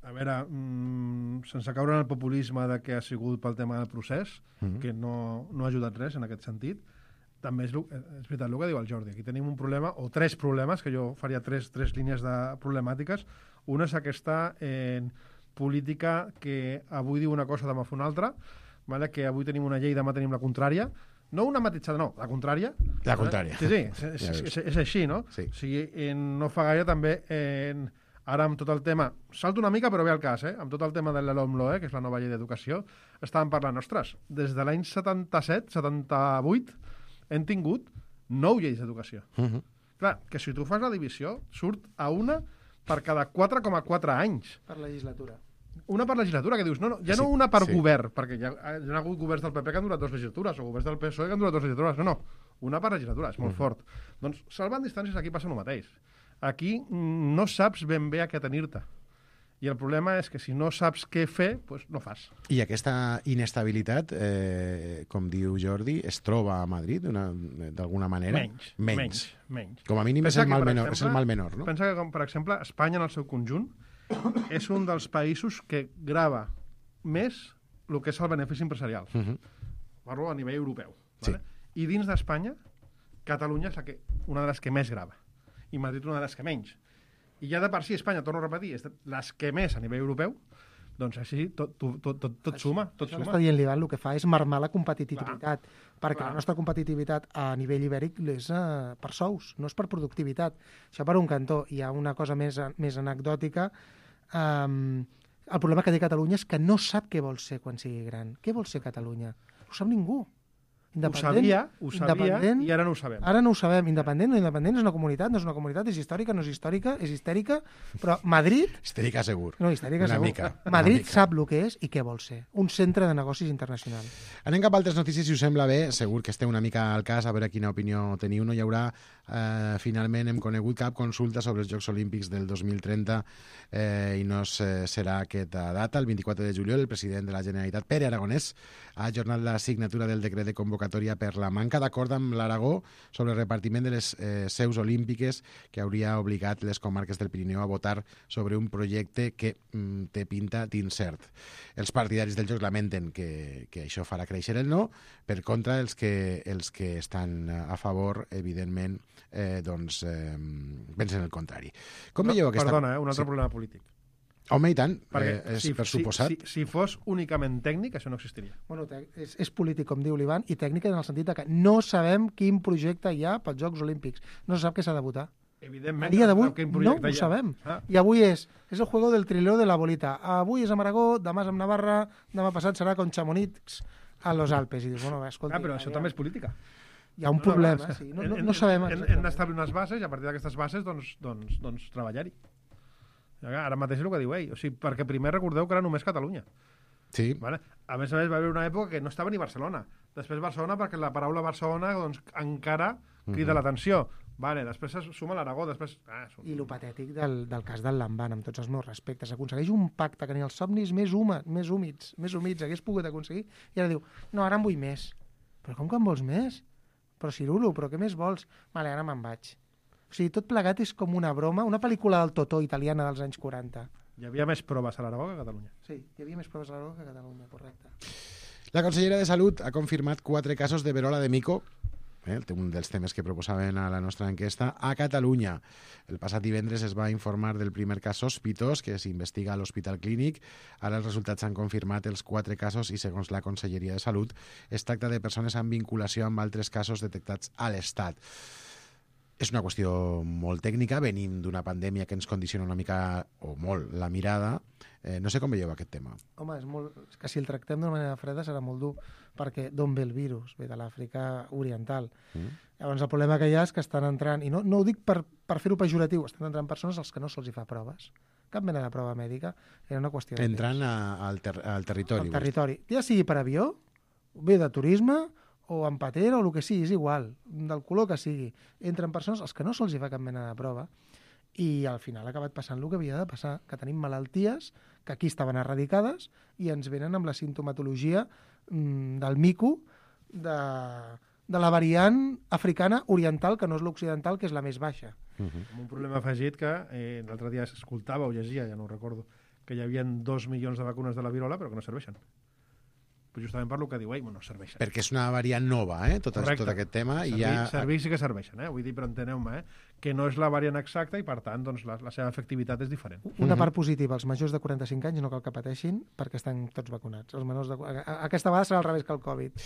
K: A veure, mmm, sense caure en el populisme de que ha sigut pel tema del procés,
B: Mhm.
K: que no, no ha ajudat res en aquest sentit, també és, lo- és veritat el que diu el Jordi. Aquí tenim un problema, o tres problemes, que jo faria tres, tres línies de problemàtiques. Una és aquesta eh, política que avui diu una cosa, demà fa una altra, vale? Que avui tenim una llei, demà tenim la contrària. No una matitzada, no, la contrària.
B: La contrària.
K: Sí, sí, és, és,
B: Ja
K: és,
B: veus.
K: és, és així, no?
B: Sí.
K: O sigui, eh, no fa gaire també... Eh, ara amb tot el tema, salto una mica però ve al cas, eh? Amb tot el tema de la LOMLOE, que és la nova llei d'educació, estàvem parlant, ostres, des de l'any setanta-set, setanta-vuit, hem tingut nou lleis d'educació.
B: Uh -huh.
K: Clar, que si tu fas la divisió, surt a una per cada quatre coma quatre anys.
I: Per legislatura.
K: Una per legislatura, que dius, no, no, ja
B: Sí,
K: no una per
B: sí.
K: govern, perquè hi ha, hi ha hagut governs del P P que han durat dues legislatures, o governs del P S O E que han durat dues legislatures, no, no, una per legislatura, és molt
B: Mhm.
K: fort. Doncs, salvant distàncies, aquí passa el mateix. Aquí mm, no saps ben bé a què tenir-te. I el problema és que si no saps què fer, doncs no fas.
B: I aquesta inestabilitat, eh, com diu Jordi, es troba a Madrid d'una- d'alguna manera?
K: Menys, menys, menys.
B: Com a mínim és
K: Pensa
B: el,
K: que,
B: mal
K: per
B: menor, és el
K: exemple,
B: mal menor, no?
K: Pensa que, com, per exemple, Espanya en el seu conjunt és un dels països que grava més el que és el benefici empresarial.
B: Uh -huh.
K: Parlo a nivell europeu.
B: Sí.
K: Vale? I dins d'Espanya, Catalunya és la que, una de les que més grava. I Madrid una de les que menys. I ja de per si Espanya, torno a repetir, és de les que més a nivell europeu, doncs així tot, tot, tot, tot, tot suma. Tot
I: Això que
K: suma.
I: està dient l'Ivan, el que fa és marmar la competitivitat, perquè
K: clar.
I: la nostra competitivitat a nivell ibèric és uh, per sous, no és per productivitat. Això per un cantó. Hi ha una cosa més, més anecdòtica. Um, el problema que té Catalunya és que no sap què vol ser quan sigui gran. Què vol ser Catalunya? No ho sap ningú.
K: Ho sabia, ho sabia,
I: independent,
K: i ara no ho sabem.
I: Ara no ho sabem. Independent o independent és una comunitat, no és una comunitat, és històrica, no és històrica, és histèrica, però Madrid...
B: Histèrica segur.
I: No, histèrica
B: una
I: segur.
B: Mica,
I: Madrid
B: una mica.
I: sap el que és i què vol ser. Un centre de negocis internacional.
B: Anem cap a altres notícies, si us sembla bé. Segur que esteu una mica al cas, a veure quina opinió teniu. No hi haurà, eh, finalment, hem conegut cap consulta sobre els Jocs Olímpics del dos mil trenta eh, i no se, serà aquesta data. El vint-i-quatre de juliol, el president de la Generalitat, Pere Aragonès, ha ajornat la signatura del decret de convocatòria per la manca d'acord amb l'Aragó sobre el repartiment de les eh, seus olímpiques que hauria obligat les comarques del Pirineu a votar sobre un projecte que mm, té pinta d'incert. Els partidaris dels Jocs lamenten que, que això farà créixer el no, per contra els que, els que estan a favor, evidentment, eh, doncs, eh, pensen el contrari. Com
K: No,
B: veieu aquesta...
K: Perdona, eh, un altre
B: Sí.
K: problema polític.
B: Home, i tant,
K: Perquè
B: eh, és
K: si,
B: per
K: si,
B: suposat.
K: si, si fos únicament tècnic, això no existiria.
I: Bueno, te- és, és polític, com diu l'Ivan, i tècnica en el sentit de que no sabem quin projecte hi ha pels Jocs Olímpics. No se sap què s'ha de votar.
K: Evidentment,
I: A dia d'avui
K: quin
I: no
K: projecte
I: ho
K: hi ha.
I: sabem.
K: Ah.
I: I avui és, és el juego del triló de la bolita. Avui és a Maragó, demà és a Navarra, demà passat serà con Chamonix a los Alpes. I dius, bueno, escolta...
K: Ah, però això també és política.
I: Hi ha un problema, sí. No, no, no sabem
K: Hem, hem
I: exactament.
K: d'establir unes bases i a partir d'aquestes bases doncs, doncs, doncs treballar-hi. Ara mateix és el que diu ell. O sigui, perquè primer recordeu que era només Catalunya.
B: Sí.
K: Vale? A més a més, va haver una època que no estava ni Barcelona. Després Barcelona, perquè la paraula Barcelona doncs, encara crida
B: Mhm.
K: l'atenció. Vale, després es suma l'Aragó, després... Ah,
I: I el patètic del, del cas del Lamban, amb tots els meus respectes. Aconsegueix un pacte que ni els somnis més, huma, més húmids, més humits hagués pogut aconseguir, i ara diu, no, ara en vull més. Però com que en vols més? Però Cirulo, però què més vols? Vale, ara me'n vaig. O sigui, tot plegat és com una broma, una pel·lícula del Totó italiana dels anys quaranta.
K: Hi havia més proves a l'Aragó que a Catalunya.
I: Sí, hi havia més proves a l'Aragó que a Catalunya, correcte.
B: La consellera de Salut ha confirmat quatre casos de verola de mico, eh, un dels temes que proposaven a la nostra enquesta, a Catalunya. El passat divendres es va informar del primer cas sospitós que s'investiga a l'Hospital Clínic. Ara els resultats han confirmat els quatre casos i, segons la Conselleria de Salut, es tracta de persones amb vinculació amb altres casos detectats a l'Estat. És una qüestió molt tècnica, venim d'una pandèmia que ens condiciona una mica, o molt, la mirada. Eh, no sé com veieu aquest tema.
I: Home, és, molt, és que si el tractem d'una manera freda serà molt dur, perquè d'on ve el virus? Ve de l'Àfrica Oriental. Mm. Llavors el problema que hi ha és que estan entrant, i no, no ho dic per, per fer-ho pejoratiu, estan entrant persones als que no se'ls fa proves. Cap mena de prova mèdica, era una qüestió de
B: Entrant a, al, ter, al territori.
I: Al territori. Ja sigui per avió, bé de turisme, o en patera, o el que sigui, és igual, del color que sigui. Entren persones als que no se'ls fa cap mena de prova, i al final ha acabat passant el que havia de passar, que tenim malalties que aquí estaven erradicades i ens venen amb la sintomatologia mm, del mico, de, de la variant africana oriental, que no és l'occidental, que és la més baixa.
K: Uh-huh. Amb un problema afegit que eh, l'altre dia s'escoltava o llegia, ja no ho recordo, que hi havia dos milions de vacunes de la virola però que no serveixen. Però justament per lo que diu ell, bueno, serveixen.
B: Perquè és una variant nova, eh? Tot, tot aquest tema.
K: Servir,
B: i ja...
K: servir sí que serveixen, eh? Vull dir, però enteneu-me, eh? Que no és la variant exacta i, per tant, doncs, la, la seva efectivitat és diferent.
I: Una part positiva, els majors de quaranta-cinc anys no cal que pateixin perquè estan tots vacunats. Els menors de... Aquesta vegada serà al revés que el Covid.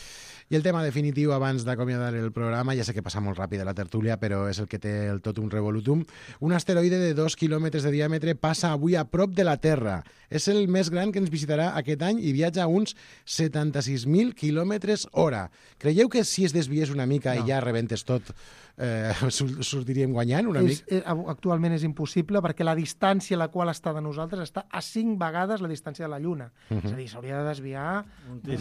B: I el tema definitiu, abans d'acomiadar el programa, ja sé que passa molt ràpid a la tertúlia, però és el que té el tot un revolutum. Un asteroide de dos quilòmetres de diàmetre passa avui a prop de la Terra. És el més gran que ens visitarà aquest any i viatja a uns setanta-sis mil quilòmetres hora. Creieu que si es desviés una mica no. i ja rebentes tot, eh, sortiríem guanyant una
I: és,
B: mica?
I: Eh, actualment és impossible perquè la distància a la qual està de nosaltres està a cinc vegades la distància de la Lluna. Uh -huh. És a dir, s'hauria de desviar...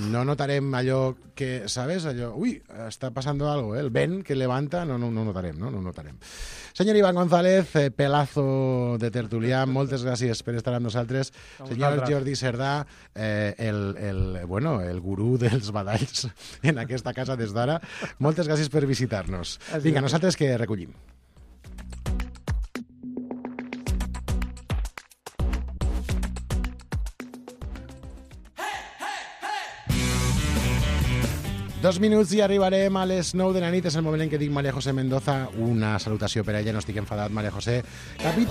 B: No notarem allò que, ¿sabes? Allò, ui, està passant algo, eh? El vent que levanta, no, no, no notarem, no? No notarem. Senyor Iván González, eh, pelazo de tertulià, moltes gràcies per estar amb nosaltres. Senyor Jordi Cerdà, eh, el, el, bueno, el gurú dels badalls en aquesta casa des d'ara, moltes gràcies per visitar-nos. Vinga, nosaltres que recollim. Dos minuts i arribarem a les nou de la nit. És el moment en què dic María José Mendoza. Una salutació per a ella, no estic enfadat, María José. Capit...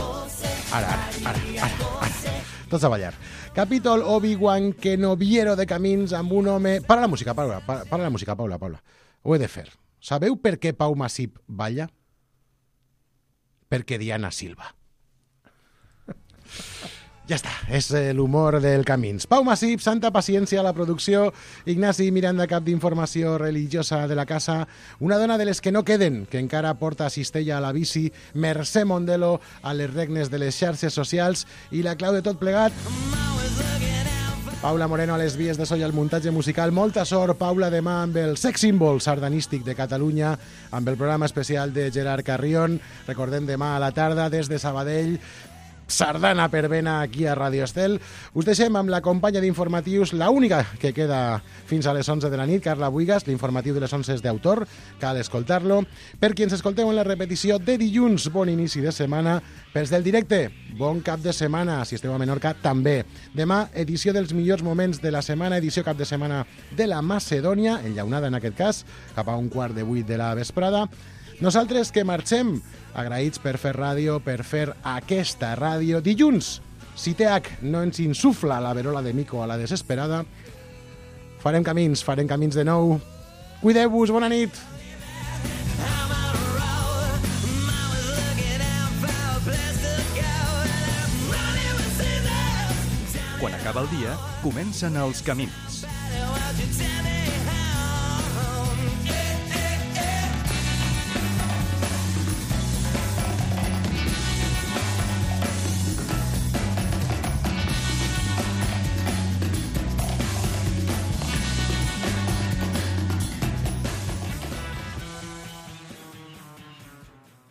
B: Ara, ara, ara, ara, ara. Tots a ballar. Capítol Obi-Wan Kenobiero de camins amb un home... Para la música, Paula, para, para la música, Paula, Paula. Ho he de fer. Sabeu per què Pau Masip balla? Perquè Diana Silva. Ja està, és l'humor del Camins. Pau Masip, Santa Paciència a la producció, Ignasi Miranda, cap d'informació religiosa de la casa, una dona de les que no queden, que encara porta cistella a la bici, Mercè Mondelo a les regnes de les xarxes socials, i la clau de tot plegat... Paula Moreno a les vies de so i al muntatge musical. Molta sort, Paula, demà amb el sex símbol sardanístic de Catalunya, amb el programa especial de Gerard Carrion. Recordem, demà a la tarda, des de Sabadell, sardana per vena aquí a Radio Estel. Us deixem amb la companya d'informatius, la única que queda fins a les onze de la nit, Carla Buigas. L'informatiu de les onze és d'autor, cal escoltar-lo. Per qui ens escolteu en la repetició de dilluns, bon inici de setmana. Pels del directe, bon cap de setmana. Si esteu a Menorca, també. Demà, edició dels millors moments de la setmana, edició cap de setmana de la Macedònia, enllaunada en aquest cas, cap a un quart de vuit de la vesprada. Nosaltres que marxem, agraïts per fer ràdio, per fer aquesta ràdio. Dilluns, si T H no ens insufla la verola de mico a la desesperada, farem camins, farem camins de nou. Cuideu-vos, bona nit!
A: Quan acaba el dia, comencen els camins.